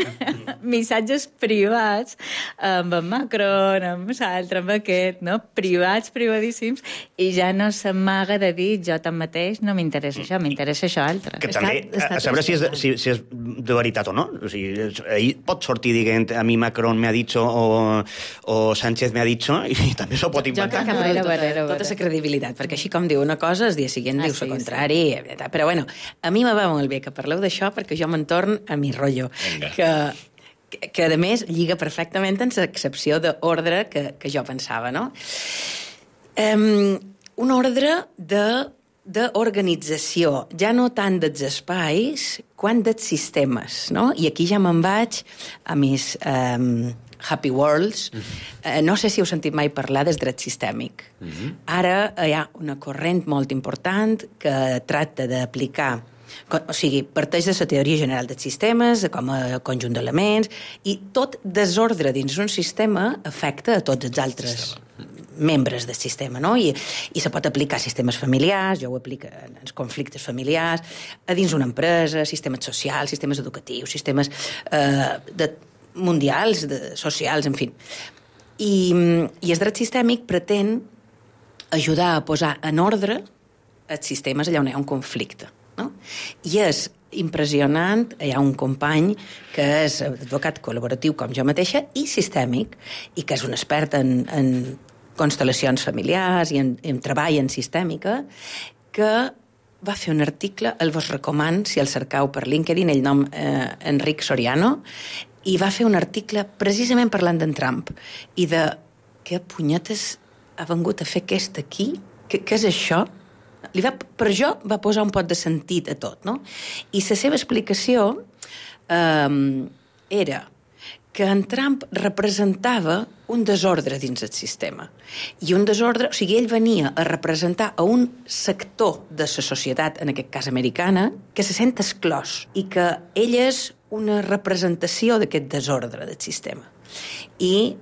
Speaker 4: missatges privats amb en Macron, amb l'altre, amb aquest, no? Privats, privadíssims, i ja no s'amaga de dir jo tanmateix no m'interessa això, m'interessa això altre.
Speaker 7: Que també, a saber si és de veritat o no. O sigui, ahir pot sortir dient a mi Macron me ha dicho o Sánchez me ha dicho i també s'ho pot inventar.
Speaker 8: Jo crec que tota la credibilitat, perquè així com diu una cosa, el dia següent diu la contrari. Sí. Però bueno, a mi me va molt bé que parleu d'això perquè jo me'n torn a mi rotllo. Que a més lliga perfectament en l'excepció d'ordre que jo pensava, no? Un ordre d'organització, ja no tant dels espais, quant dels sistemes, no? I aquí ja me'n vaig a mis Happy Worlds. No sé si heu sentit mai parlar del dret sistèmic. Ara hi ha una corrent molt important que tracta d'aplicar, o sigui, parteix de la teoria general dels sistemes, com a conjunt d'elements, i tot desordre dins un sistema afecta a tots els altres membres del sistema, no? I se pot aplicar a sistemes familiars, jo ho aplico en els conflictes familiars, a dins una empresa, sistemes socials, sistemes educatius, sistemes mundials, socials, en fi. I el dret sistèmic pretén ajudar a posar en ordre els sistemes allà on hi ha un conflicte, no? I és impressionant. Hi ha un company que és advocat col·laboratiu com jo mateixa i sistèmic, i que és un expert en constel·lacions familiars i en treball en sistèmica, que va fer un article, el vos recoman si el cercau per LinkedIn, ell nom Enric Soriano, i va fer un article precisament parlant d'en Trump i de què punyetes ha vengut a fer aquest aquí? Què és això? Per jo va posar un pot de sentit a tot, no? I la seva explicació era que en Trump representava un desordre dins el sistema. I un desordre... O sigui, ell venia a representar a un sector de la societat, en aquest cas americana, que se sent exclòs i que ell és una representació d'aquest desordre del sistema. I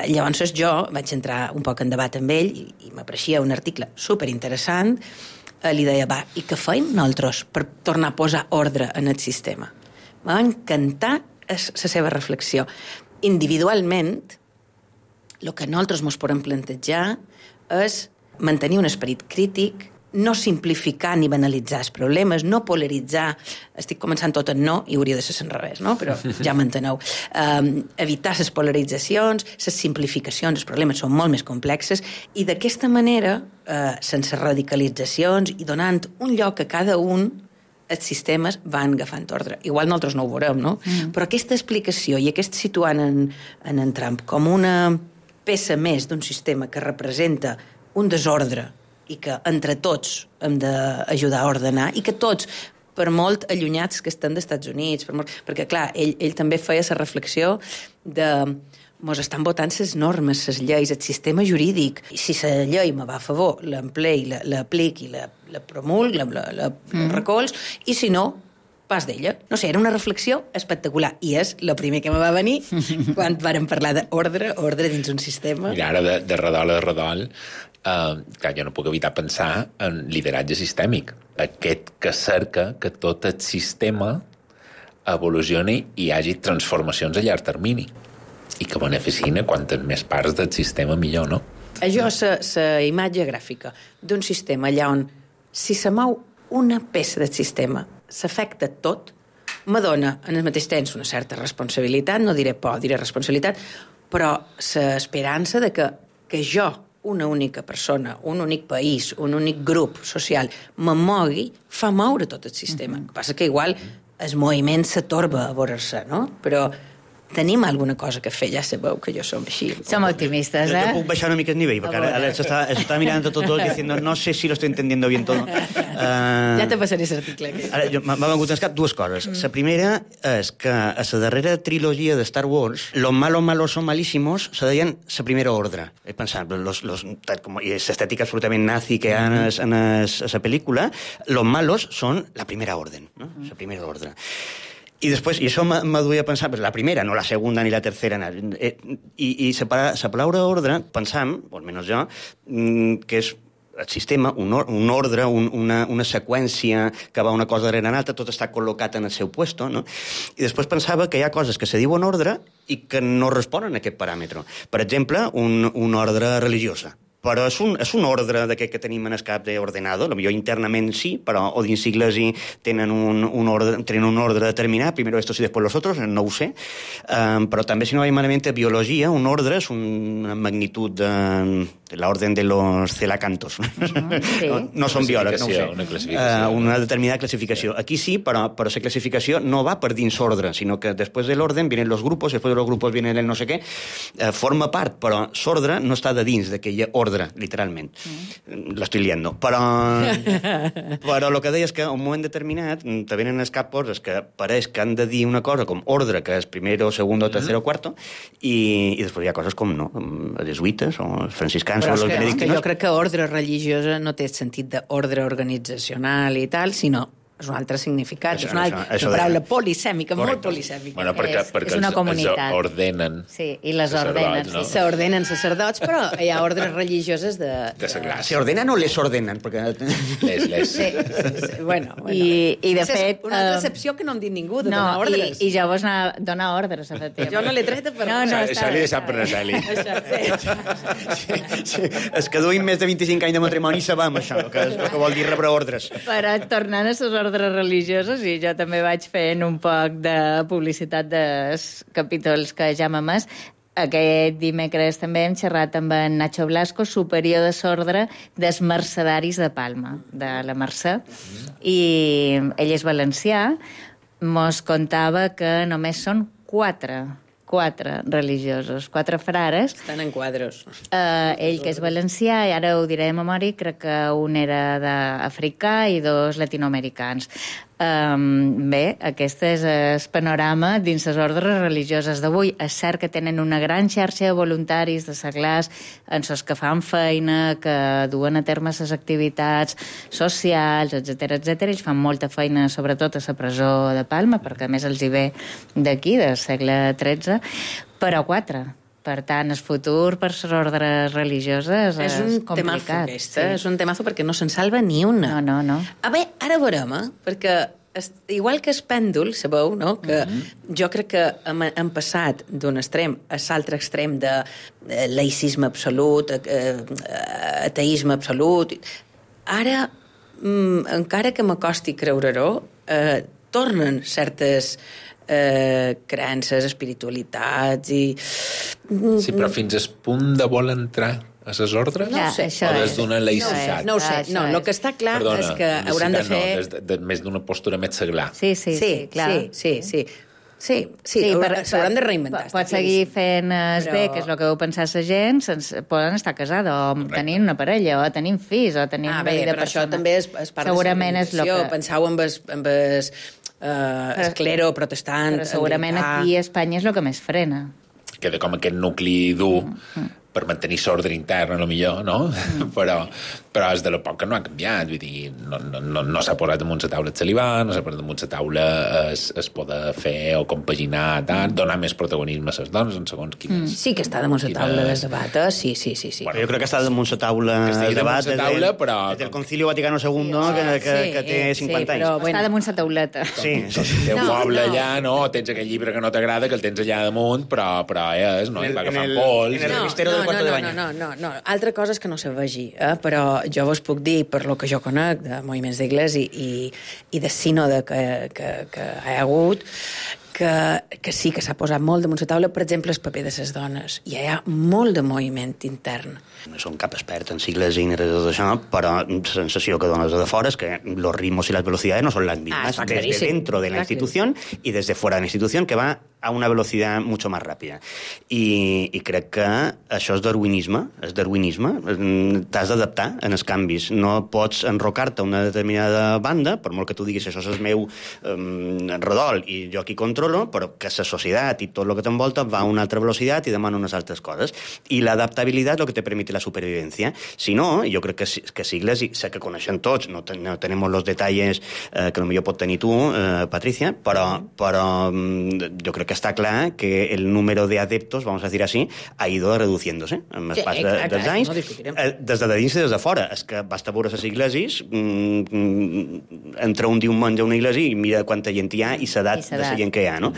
Speaker 8: llavors jo vaig entrar un poc en debat amb ell i m'apareixia un article superinteressant. Li deia, va, i què feim nosaltres per tornar a posar ordre en el sistema? M'ha encantar la seva reflexió. Individualment, el que nosaltres ens podem plantejar és mantenir un esperit crític, no simplificar ni banalitzar els problemes, no polaritzar, estic començant tot en no i hauria de ser al revés, no? Però ja m'enteneu. Evitar les polaritzacions, les simplificacions, els problemes són molt més complexes i d'aquesta manera, sense radicalitzacions i donant un lloc a cada un, els sistemes van agafant ordre. Igual nosaltres no ho veurem, no? Però aquesta explicació i aquest situant en Trump com una peça més d'un sistema que representa un desordre i que entre tots hem d'ajudar a ordenar i que tots, per molt allunyats que estem dels Estats Units, perquè, clar, ell també feia la reflexió de mos estan votant les normes, les lleis, el sistema jurídic, i si la llei me va a favor, l'emplei, l'apliqui, la promulg, la recolz, i si no, pas d'ella. No sé, era una reflexió espectacular, i és el primer que me va venir quan vàrem parlar d'ordre dins un sistema.
Speaker 6: Mira, ara de redol a redol, clar, jo no puc evitar pensar en lideratge sistèmic. Aquest que cerca que tot el sistema evolucioni i hi hagi transformacions a llarg termini i que beneficien a quantes més parts del sistema millor, no?
Speaker 8: Això és la imatge gràfica d'un sistema allà on si se mou una peça del sistema s'afecta tot, m'adona en el mateix temps una certa responsabilitat, no diré por, diré responsabilitat, però l'esperança de que jo, una única persona, un únic país, un únic grup social, me mogui, fa moure tot el sistema. El que passa que igual el moviment s'atorba a veure-se, no? Però tenim alguna cosa que fer, ja sabeu que jo som així.
Speaker 4: Som optimistes,
Speaker 7: Jo puc baixar una mica el nivell, perquè ara està mirant todo diciendo, no sé si lo estoy entendiendo bien todo.
Speaker 8: Ja te passaré l'article.
Speaker 7: M'ha vengut al cap dues coses. La primera és que a la darrera trilogia de Star Wars, los malos son malísimos, se deien la primera ordre. He pensat, i l'estètica absolutament nazi que hi ha en la pel·lícula, los malos son la primera orden, no? La primera ordre. I després, i això m'aduia a pensar, pues la primera, no la segunda ni la tercera, i la paraula ordre, pensam, o almenys jo, que és el sistema, un ordre, una seqüència que va una cosa darrere l'altra, tot està col·locat en el seu puesto, no? I després pensava que hi ha coses que se diuen ordre i que no responen a aquest paràmetre. Per exemple, un ordre religiosa. Però és un ordre d'aquest que tenim en el cap d'ordenado, potser internament sí, però o dins sigles tenen un ordre determinat, primero estos y después los otros, no ho sé, però també, si no vaig malament, biologia, un ordre és una magnitud de l'orden de los celacantos.
Speaker 4: Sí.
Speaker 7: No són biòlegs, no ho sé.
Speaker 6: Una classificació.
Speaker 7: Una determinada classificació. Aquí sí, però la classificació no va per dins ordre, sinó que després de l'orden vienen los grupos, després de los grupos viene el no sé què, forma part, però l'ordre no està de dins d'aquella ordre, literalment. L'estic liando. Però el que deia és que a un moment determinat te venen els capos que pareix que han de dir una cosa com ordre, que és primero, segundo, tercero, cuarto, i després hi ha coses com no, els jesuïtes o els franciscans.
Speaker 8: Però és que jo crec que ordre religiosa no té sentit d'ordre organitzacional i tal, sinó és un altre significat, és una paraula polisèmica, molt polisèmica.
Speaker 6: Bueno, perquè
Speaker 4: és una comunitat.
Speaker 6: Els ordenen.
Speaker 4: Sí, i les ordenen.
Speaker 6: No?
Speaker 8: S'ordenen sacerdots, però hi ha ordres religioses de
Speaker 6: la classe.
Speaker 7: ¿Se ordenan o les ordenen? Perquè...
Speaker 6: Les.
Speaker 8: Sí. Bueno.
Speaker 4: I de fet...
Speaker 8: Una altra excepció que no hem dit ningú, de donar ordres.
Speaker 4: I llavors donar ordres, efectivament.
Speaker 8: Jo no l'he tret per...
Speaker 6: Això li he deixat per Celi.
Speaker 7: Sí. És que duim més de 25 anys de matrimoni i sabem això, que vol dir rebre ordres.
Speaker 4: Però tornant a les ordres ordres religioses, i jo també vaig fent un poc de publicitat dels capítols que ja hem emès. Aquest dimecres també hem xerrat amb en Nacho Blasco, superior de l'ordre dels mercedaris de Palma, de la Mercè, i ell és valencià. Mos contava que només són quatre religiosos, 4 frares.
Speaker 8: Estan en quadros.
Speaker 4: Ell, que és valencià, i ara ho diré de memòria, crec que un era d'africà i 2 latinoamericans. Bé, aquest és el panorama dins les ordres religioses d'avui. És cert que tenen una gran xarxa de voluntaris de seglars, en els que fan feina, que duen a terme les activitats socials, etc etc. Ells fan molta feina, sobretot a la presó de Palma, perquè a més els hi ve d'aquí, del segle XIII, però 4. Per tant, el futur per les ordres religioses és complicat.
Speaker 8: És un temazo perquè no se'n salva ni una.
Speaker 4: No.
Speaker 8: A veure, ara veurem, perquè igual que el pèndol, sabeu, no? Que jo crec que hem passat d'un extrem a l'altre extrem de laïcisme absolut, ateisme absolut. Ara, encara que m'acosti creure-ho, tornen certes creences, espiritualitats i...
Speaker 6: Sí, però fins al punt de vol entrar a les ordres?
Speaker 8: No ho sé.
Speaker 6: O des d'una laïcitat?
Speaker 8: No ho sé. No, el que està clar és que hauran de fer...
Speaker 6: No, més d'una postura més seglar.
Speaker 4: Sí, clar.
Speaker 8: Sí, s'hauran de reinventar.
Speaker 4: Pot seguir fent bé, que és el que deu pensar la gent, poden estar casada, o tenint una parella, o tenint fills, o tenint una vida
Speaker 8: però
Speaker 4: persona.
Speaker 8: això també és part de la civilització. Penseu amb el clero protestant.
Speaker 4: Però segurament aquí a Espanya és el que més frena.
Speaker 6: Queda com aquest nucli dur per mantenir l'ordre intern, a lo millor, no? Però és de l'època no ha canviat, vull dir, no s'ha posat damunt la taula el celibat, no s'ha posat damunt la taula es poder fer o compaginar, donar més protagonisme a les dones en segons quines...
Speaker 8: Sí que està damunt la taula del debat, sí.
Speaker 7: Bueno, jo crec que està damunt la taula del debat des del Concilio Vaticano II, que té 50 anys.
Speaker 4: Està damunt la tauleta.
Speaker 7: Sí.
Speaker 6: Té un poble allà, no? Tens aquell llibre que no t'agrada, que el tens allà damunt, però és, no? I va agafant pols...
Speaker 7: En el revistero del quarto de bany.
Speaker 8: No. Altra cosa és que no se vegi, però jo vos puc dir, per lo que jo conec de moviments d'Igles i de sínode que hi ha hagut, que sí que s'ha posat molt damunt la taula, per exemple, el paper de les dones. I hi ha molt de moviment intern.
Speaker 7: No som cap expert en sigles i de tot això, però la sensació que dones de fora és que los ritmos y las velocidades no son las mismas desde dentro de la institución y desde fuera de la institución, que va a una velocidad mucho más ràpida. I crec que això és darwinisme. T'has d'adaptar en els canvis. No pots enrocar-te a una determinada banda, per molt que tu diguis això és el meu redol i jo aquí controlo, però que la societat i tot el que t'envolta va a una altra velocitat i demana unes altres coses. I l'adaptabilitat és el que te permite la supervivencia. Si no, jo crec que sigles, i sé que coneixen tots, no tenim els detalls que potser pot tenir tu, Patricia, però jo crec que está clar que el número de adeptos, vamos a decir así, ha ido reduciéndose amb el pas dels anys, des de dins i des de fora. És que basta veure les iglesis, entra un diumenge a una iglesia i mira quanta gent hi ha i l'edat de la gent que hi ha, no?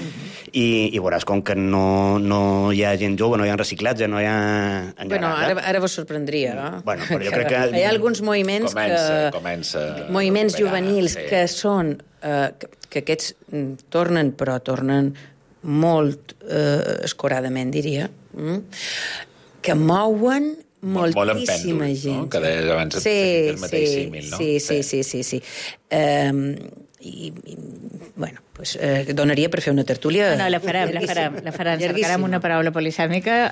Speaker 7: I veuràs com que no hi ha gent jove, no hi ha reciclatge, no hi ha...
Speaker 8: Bueno, ara vos sorprendria, no?
Speaker 7: Bueno, però jo crec que...
Speaker 8: Hi ha alguns moviments moviments juvenils que són... que aquests tornen molt escoradament, diria, que mouen moltíssima gent.
Speaker 6: No? Que deies abans el mateix símil, no?
Speaker 8: Sí. I bueno, pues, donaria per fer una tertúlia...
Speaker 4: No, la farem. Cercarem una paraula polisèmica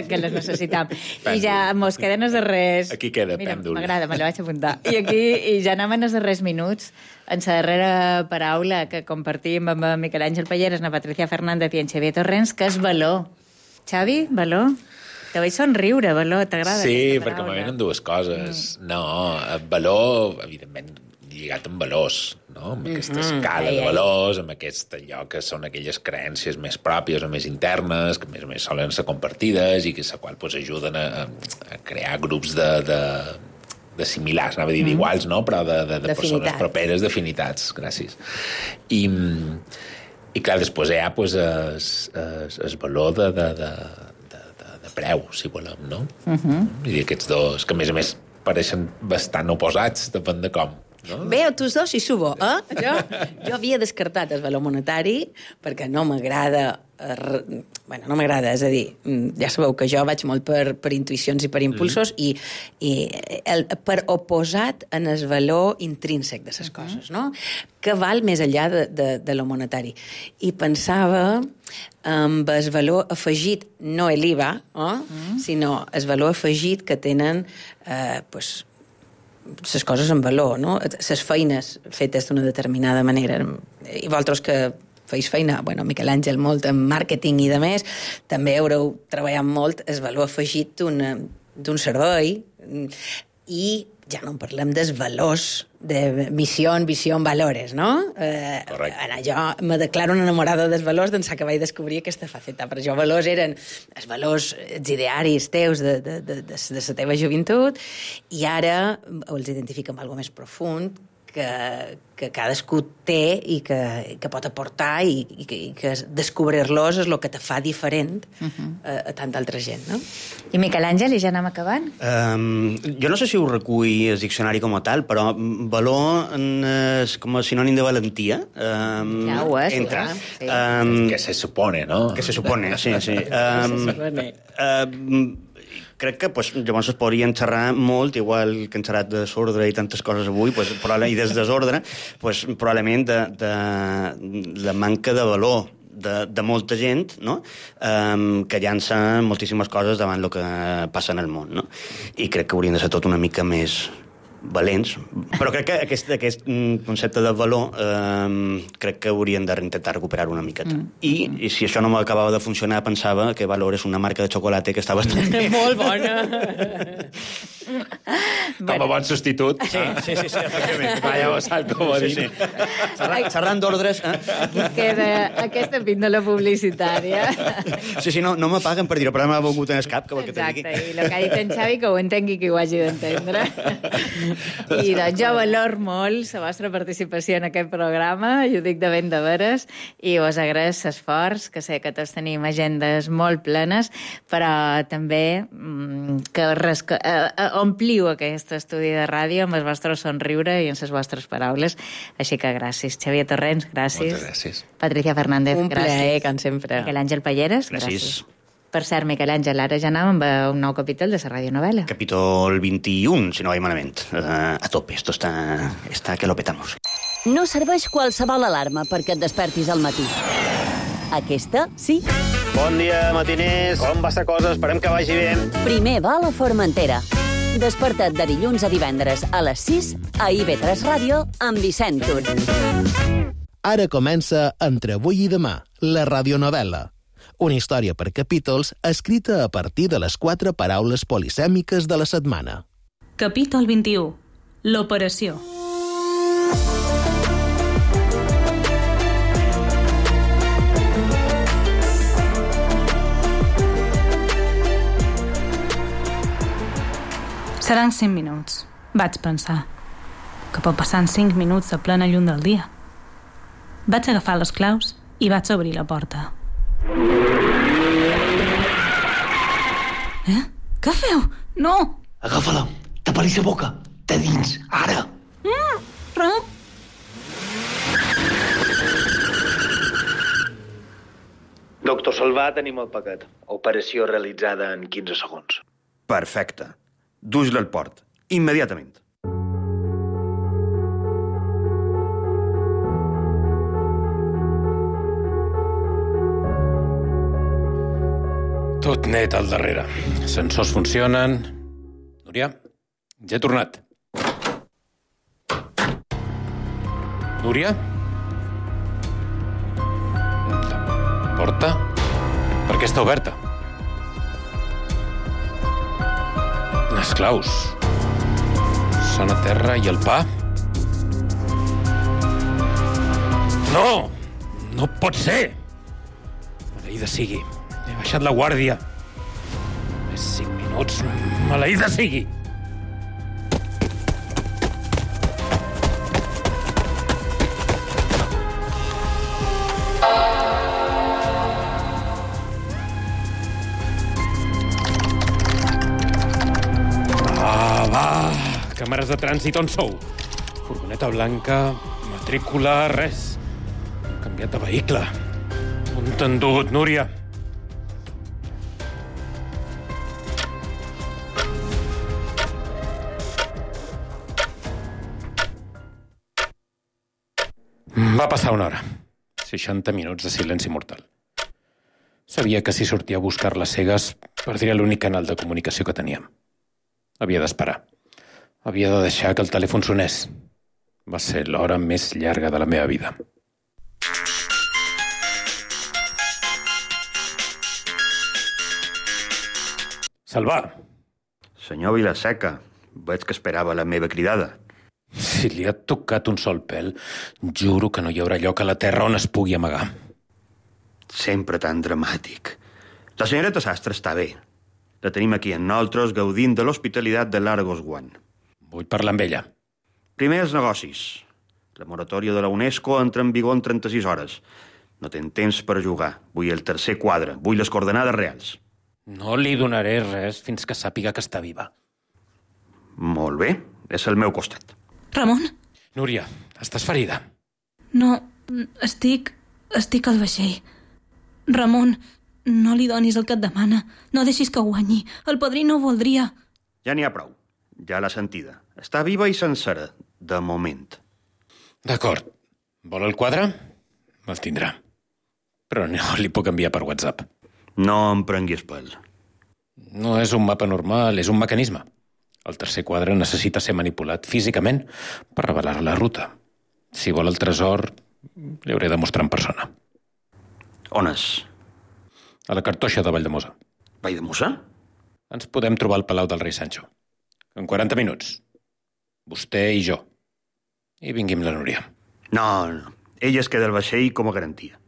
Speaker 4: que les necessitam. I ja mos queden els darrers...
Speaker 6: Aquí queda,
Speaker 4: mira,
Speaker 6: pèndol.
Speaker 4: M'agrada, me la vaig apuntar. I ja anem en els darrers minuts, en la darrera paraula que compartim amb Miquel Àngel Palleres, la Patricia Fernández i en Xavier Torrents, que és valor. Xavi, valor? Te veig somriure, valor, t'agrada?
Speaker 6: Sí, perquè me venen dues coses. No, valor, evidentment, lligat amb valors, no? Amb aquesta escala de valors, amb aquest allò que són aquelles creences més pròpies o més internes, que més o més solen ser compartides i que la qual pues, ajuden a crear grups de similars, anava a dir d'iguals, no? Però de persones properes, d'afinitats, gràcies. I clar, després hi ha pues, el valor de preu, si volem, no? I aquests dos, que a més pareixen bastant oposats, depèn de com. no?
Speaker 8: Veo tus dos i subo, Jo havia descartat el valor monetari perquè no m'agrada... no m'agrada, és a dir, ja sabeu que jo vaig molt per intuïcions i per impulsos i per oposat en el valor intrínsec de les coses, no? Que val més enllà de lo monetari. I pensava amb el valor afegit, no l'IVA, sinó el valor afegit que tenen les coses en valor, no? Les feines fetes d'una determinada manera. I vosaltres que feis feina, Miquel Àngel molt en màrqueting i de més, també haureu treballat molt el valor afegit d'un servei i ja no en parlem dels valors de missió, visió, valores, no? Jo me declaro una enamorada dels valors d'ençà que vaig descobrir aquesta faceta. Per jo valors eren els valors, els idearis teus de la teva joventut i ara els identifico amb alguna més profund que cadascú té i que pot aportar i que descobrir-los és el que te fa diferent a tanta altra gent, no?
Speaker 4: I Miquel Àngel, i ja anem acabant?
Speaker 7: Jo no sé si ho recull el diccionari com a tal, però valor és com a sinònim de valentia.
Speaker 4: Ja ho és,
Speaker 7: entra.
Speaker 6: Que se supone, no?
Speaker 7: Que se supone, sí. Crec que llavors es podrien xerrar molt, igual que hem xerrat de desordre i tantes coses avui, i des desordre, probablement de la manca de valor de molta gent, no? Que llança moltíssimes coses davant el que passa en el món, no? I crec que haurien de ser tot una mica més valents, però crec que aquest concepte de valor crec que haurien d'intentar recuperar-ho una miqueta. I si això no m'acabava de funcionar, pensava que Valor és una marca de xocolata que està bastant bé.
Speaker 8: Molt bona!
Speaker 6: Com a bon substitut.
Speaker 7: Sí, efectivament.
Speaker 6: Vaya vessant, com a dir.
Speaker 7: Xerrant d'ordres.
Speaker 4: Aquesta píndola publicitària.
Speaker 7: Sí, no me paguen per dir-ho, però m'ha volgut en el cap.
Speaker 4: Exacte, i el que ha dit en Xavi, que ho entengui qui ho hagi d'entendre. I doncs jo valor molt la vostra participació en aquest programa, i ho dic de ben de veres, i us agraeix l'esforç, que sé que tots tenim agendes molt plenes, però també que ompliu aquest estudi de ràdio amb el vostre somriure i amb les vostres paraules. Així que gràcies. Xavier Torrents, gràcies.
Speaker 6: Moltes gràcies.
Speaker 4: Patricia Fernández,
Speaker 8: gràcies. Un plaer, com sempre.
Speaker 4: Miquel Àngel Palleres, gràcies. Per cert, Miquel Àngel, ara ja anàvem amb un nou capítol de la radionovela.
Speaker 7: Capítol 21, si no vaig malament. A tope, esto está que lo petamos.
Speaker 3: No serveix qualsevol alarma perquè et despertis al matí. Aquesta, sí.
Speaker 11: Bon dia, matiners. Com va la cosa? Esperem que vagi bé.
Speaker 3: Primer va a la Formentera. Desperta't de dilluns a divendres a les 6 a IB3 Ràdio amb Vicent Tur.
Speaker 12: Ara comença Entre avui i demà, la radionovela. Una història per capítols escrita a partir de les 4 paraules polisèmiques de la setmana.
Speaker 13: Capítol 21. L'operació. Seran 5 minuts, vaig pensar. Que pot passar en 5 minuts a plena llum del dia. Vaig agafar les claus i vaig obrir la porta. Què feu? No!
Speaker 14: Agafa-la, tapa-li la boca, de dins, ara!
Speaker 13: Ramon!
Speaker 11: Doctor Salvà, tenim el paquet. Operació realitzada en 15 segons.
Speaker 7: Perfecte. Dus-la al port, immediatament.
Speaker 6: Tot net al darrere. Sensors funcionen. Núria, ja he tornat. Núria? La porta? Per què està oberta? Les claus. Són a terra i el pa? No! No pot ser! Maleïda sigui. He baixat la guàrdia. Més 5 minuts. Maleïda sigui! Va! Càmeres de trànsit, on sou?
Speaker 15: Furgoneta blanca, matrícula, res. Canviat de vehicle. On t'han dut, Núria? Va passar una hora. 60 minuts de silenci mortal. Sabia que si sortia a buscar-la cegues, perdria l'únic canal de comunicació que teníem. Havia d'esperar. Havia de deixar que el telèfon sonés. Va ser l'hora més llarga de la meva vida. Salvà!
Speaker 7: Senyor Vilaseca, veig que esperava la meva cridada.
Speaker 15: Si li ha tocat un sol pèl, juro que no hi haurà lloc a la terra on es pugui amagar.
Speaker 7: Sempre tan dramàtic. La senyoreta Sastre està bé. La tenim aquí en nosaltres gaudint de l'hospitalitat de l'Argos One.
Speaker 15: Vull parlar amb ella.
Speaker 7: Primer els negocis. La moratòria de la UNESCO entra en vigor en 36 hores. No tens temps per jugar. Vull el tercer quadre. Vull les coordenades reals.
Speaker 15: No li donaré res fins que sàpiga que està viva.
Speaker 7: Molt bé. És al meu costat.
Speaker 13: Ramon?
Speaker 15: Núria, estàs ferida?
Speaker 13: No, estic al vaixell. Ramon, no li donis el que et demana. No deixis que guanyi. El padrí no voldria.
Speaker 7: Ja n'hi ha prou. Ja l'ha sentida. Està viva i sencera, de moment.
Speaker 15: D'acord. Vol el quadre? El tindrà. Però no li puc enviar per WhatsApp.
Speaker 7: No em prenguis pèl.
Speaker 15: No és un mapa normal, és un mecanisme. El tercer quadre necessita ser manipulat físicament per revelar la ruta. Si vol el tresor, li hauré de mostrar en persona.
Speaker 7: On és?
Speaker 15: A la cartoixa de Valldemossa.
Speaker 7: Valldemossa?
Speaker 15: Ens podem trobar al Palau del Rei Sancho. En 40 minuts. Vostè i jo. I vingui amb la Núria.
Speaker 7: No. Ella es queda al vaixell com a garantia.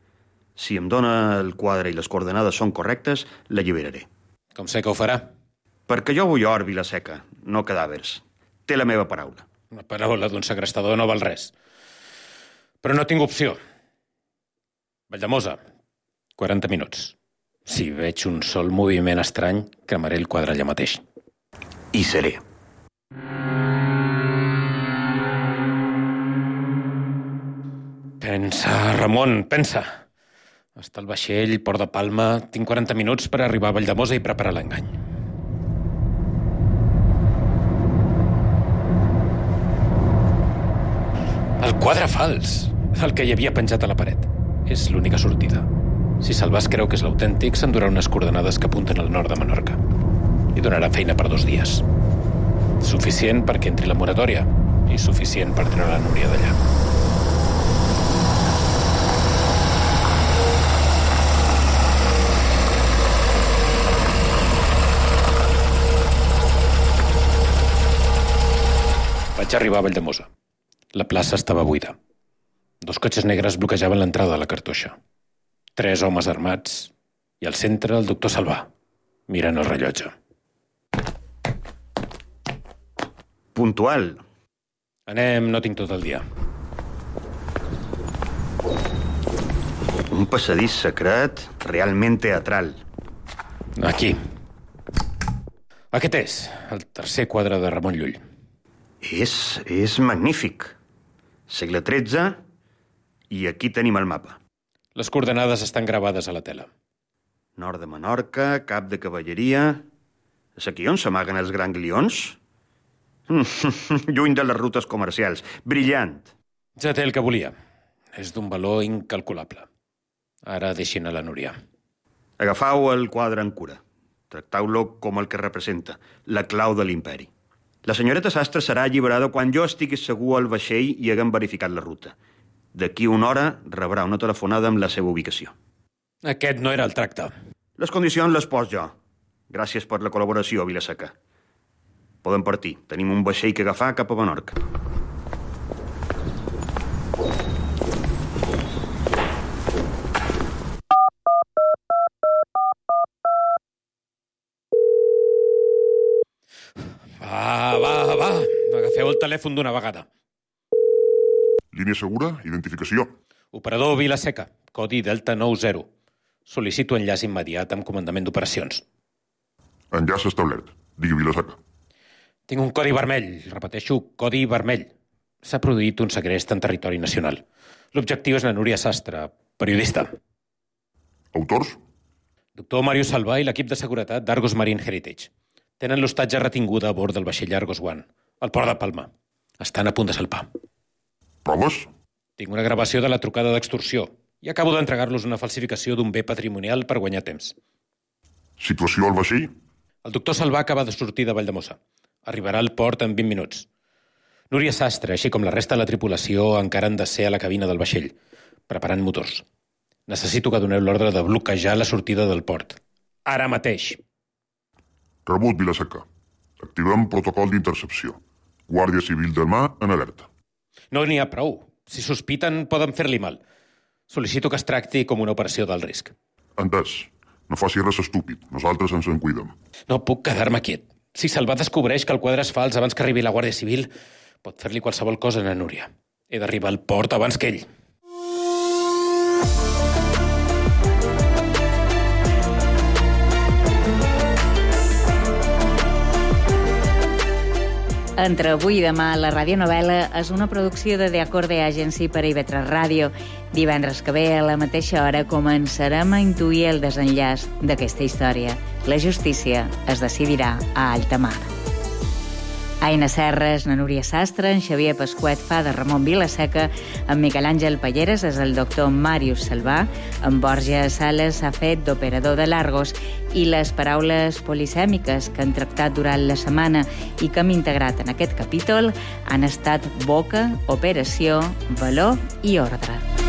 Speaker 7: Si em dona el quadre i les coordenades són correctes, l'alliberaré.
Speaker 15: Com sé que ho farà?
Speaker 7: Perquè jo vull or, Vilaseca, no cadàvers. Té la meva paraula.
Speaker 15: La paraula d'un segrestador no val res. Però no tinc opció. Valldemossa, 40 minuts. Si veig un sol moviment estrany, cremaré el quadre allà mateix.
Speaker 7: Hi seré.
Speaker 15: Pensa, Ramon, pensa. Està al vaixell, Port de Palma. Tinc 40 minuts per arribar a Valldemossa i preparar l'engany. El quadre fals, el que hi havia penjat a la paret. És l'única sortida. Si Salvàs creu que és l'autèntic, s'endurà unes coordenades que apunten al nord de Menorca. Li donarà feina per 2 dies. Suficient perquè entri la moratòria i suficient per treure la Núria d'allà. Vaig arribar a Valldemossa. La plaça estava buida. 2 cotxes negres bloquejaven l'entrada a la cartoixa. 3 homes armats i al centre el doctor Salvà, mirant el rellotge.
Speaker 7: Puntual.
Speaker 15: Anem, no tinc tot el dia.
Speaker 7: Un passadís secret realment teatral.
Speaker 15: Aquí. Aquest és el tercer quadre de Ramon Llull.
Speaker 7: És magnífic. Segle XIII i aquí tenim el mapa.
Speaker 15: Les coordenades estan gravades a la tela.
Speaker 7: Nord de Menorca, cap de cavalleria... És aquí on s'amaguen els ganglions? Lluny de les rutes comercials. Brillant.
Speaker 15: Ja té el que volia. És d'un valor incalculable. Ara deixin a la Núria.
Speaker 7: Agafau el quadre en cura. Tractau-lo com el que representa, la clau de l'imperi. La senyoreta Sastre serà alliberada quan jo estigui segur al vaixell i haguem verificat la ruta. D'aquí una hora rebrà una telefonada amb la seva ubicació.
Speaker 15: Aquest no era el tracte.
Speaker 7: Les condicions les pos jo. Gràcies per la col·laboració, Vilaseca. Podem partir. Tenim un vaixell que agafar cap a Menorca.
Speaker 15: Va. Agafeu el telèfon d'una vegada.
Speaker 16: Línia segura, identificació.
Speaker 15: Operador Vilaseca, codi Delta 90. Sol·licito enllaç immediat amb comandament d'operacions.
Speaker 16: Enllaç establert. Digui Vilaseca.
Speaker 15: Tinc un codi vermell. Repeteixo, codi vermell. S'ha produït un segrest en territori nacional. L'objectiu és la Núria Sastre, periodista.
Speaker 16: Autors?
Speaker 15: Doctor Màrius Salvà i l'equip de seguretat d'Argos Marine Heritage. Tenen l'hostatge retinguda a bord del vaixell Argos One, al port de Palma. Estan a punt de salpar.
Speaker 16: Proves?
Speaker 15: Tinc una gravació de la trucada d'extorsió i acabo d'entregar-los una falsificació d'un bé patrimonial per guanyar temps.
Speaker 16: Situació al vaixell?
Speaker 15: El doctor Salvà acaba de sortir de Valldemossa. Arribarà al port en 20 minuts. Núria Sastre, així com la resta de la tripulació, encara han de ser a la cabina del vaixell, preparant motors. Necessito que doneu l'ordre de bloquejar la sortida del port. Ara mateix.
Speaker 16: Rebut, Vilaseca. Activem protocol d'intercepció. Guàrdia Civil del Mar en alerta.
Speaker 15: No n'hi ha prou. Si sospiten, poden fer-li mal. Sol·licito que es tracti com una operació d'alt risc.
Speaker 16: Entès. No faci res estúpid. Nosaltres ens en cuidem.
Speaker 15: No puc quedar-me quiet. Si Salvà descobreix que el quadre és fals abans que arribi la Guàrdia Civil, pot fer-li qualsevol cosa a Núria. He d'arribar al port abans que ell.
Speaker 4: Entre avui i demà, la radionovel·la és una producció de The Acorde Agency per a IB3 Ràdio. Divendres que ve, a la mateixa hora, començarem a intuir el desenllaç d'aquesta història. La justícia es decidirà a alta mar. Aina Serres, na Núria Sastre, en Xavier Pasquet fa de Ramon Vilaseca, en Miquel Àngel Palleres és el doctor Màrius Salvà, en Borja Sales ha fet d'operador de l'Argos i les paraules polisèmiques que han tractat durant la setmana i que hem integrat en aquest capítol han estat boca, operació, valor i ordre.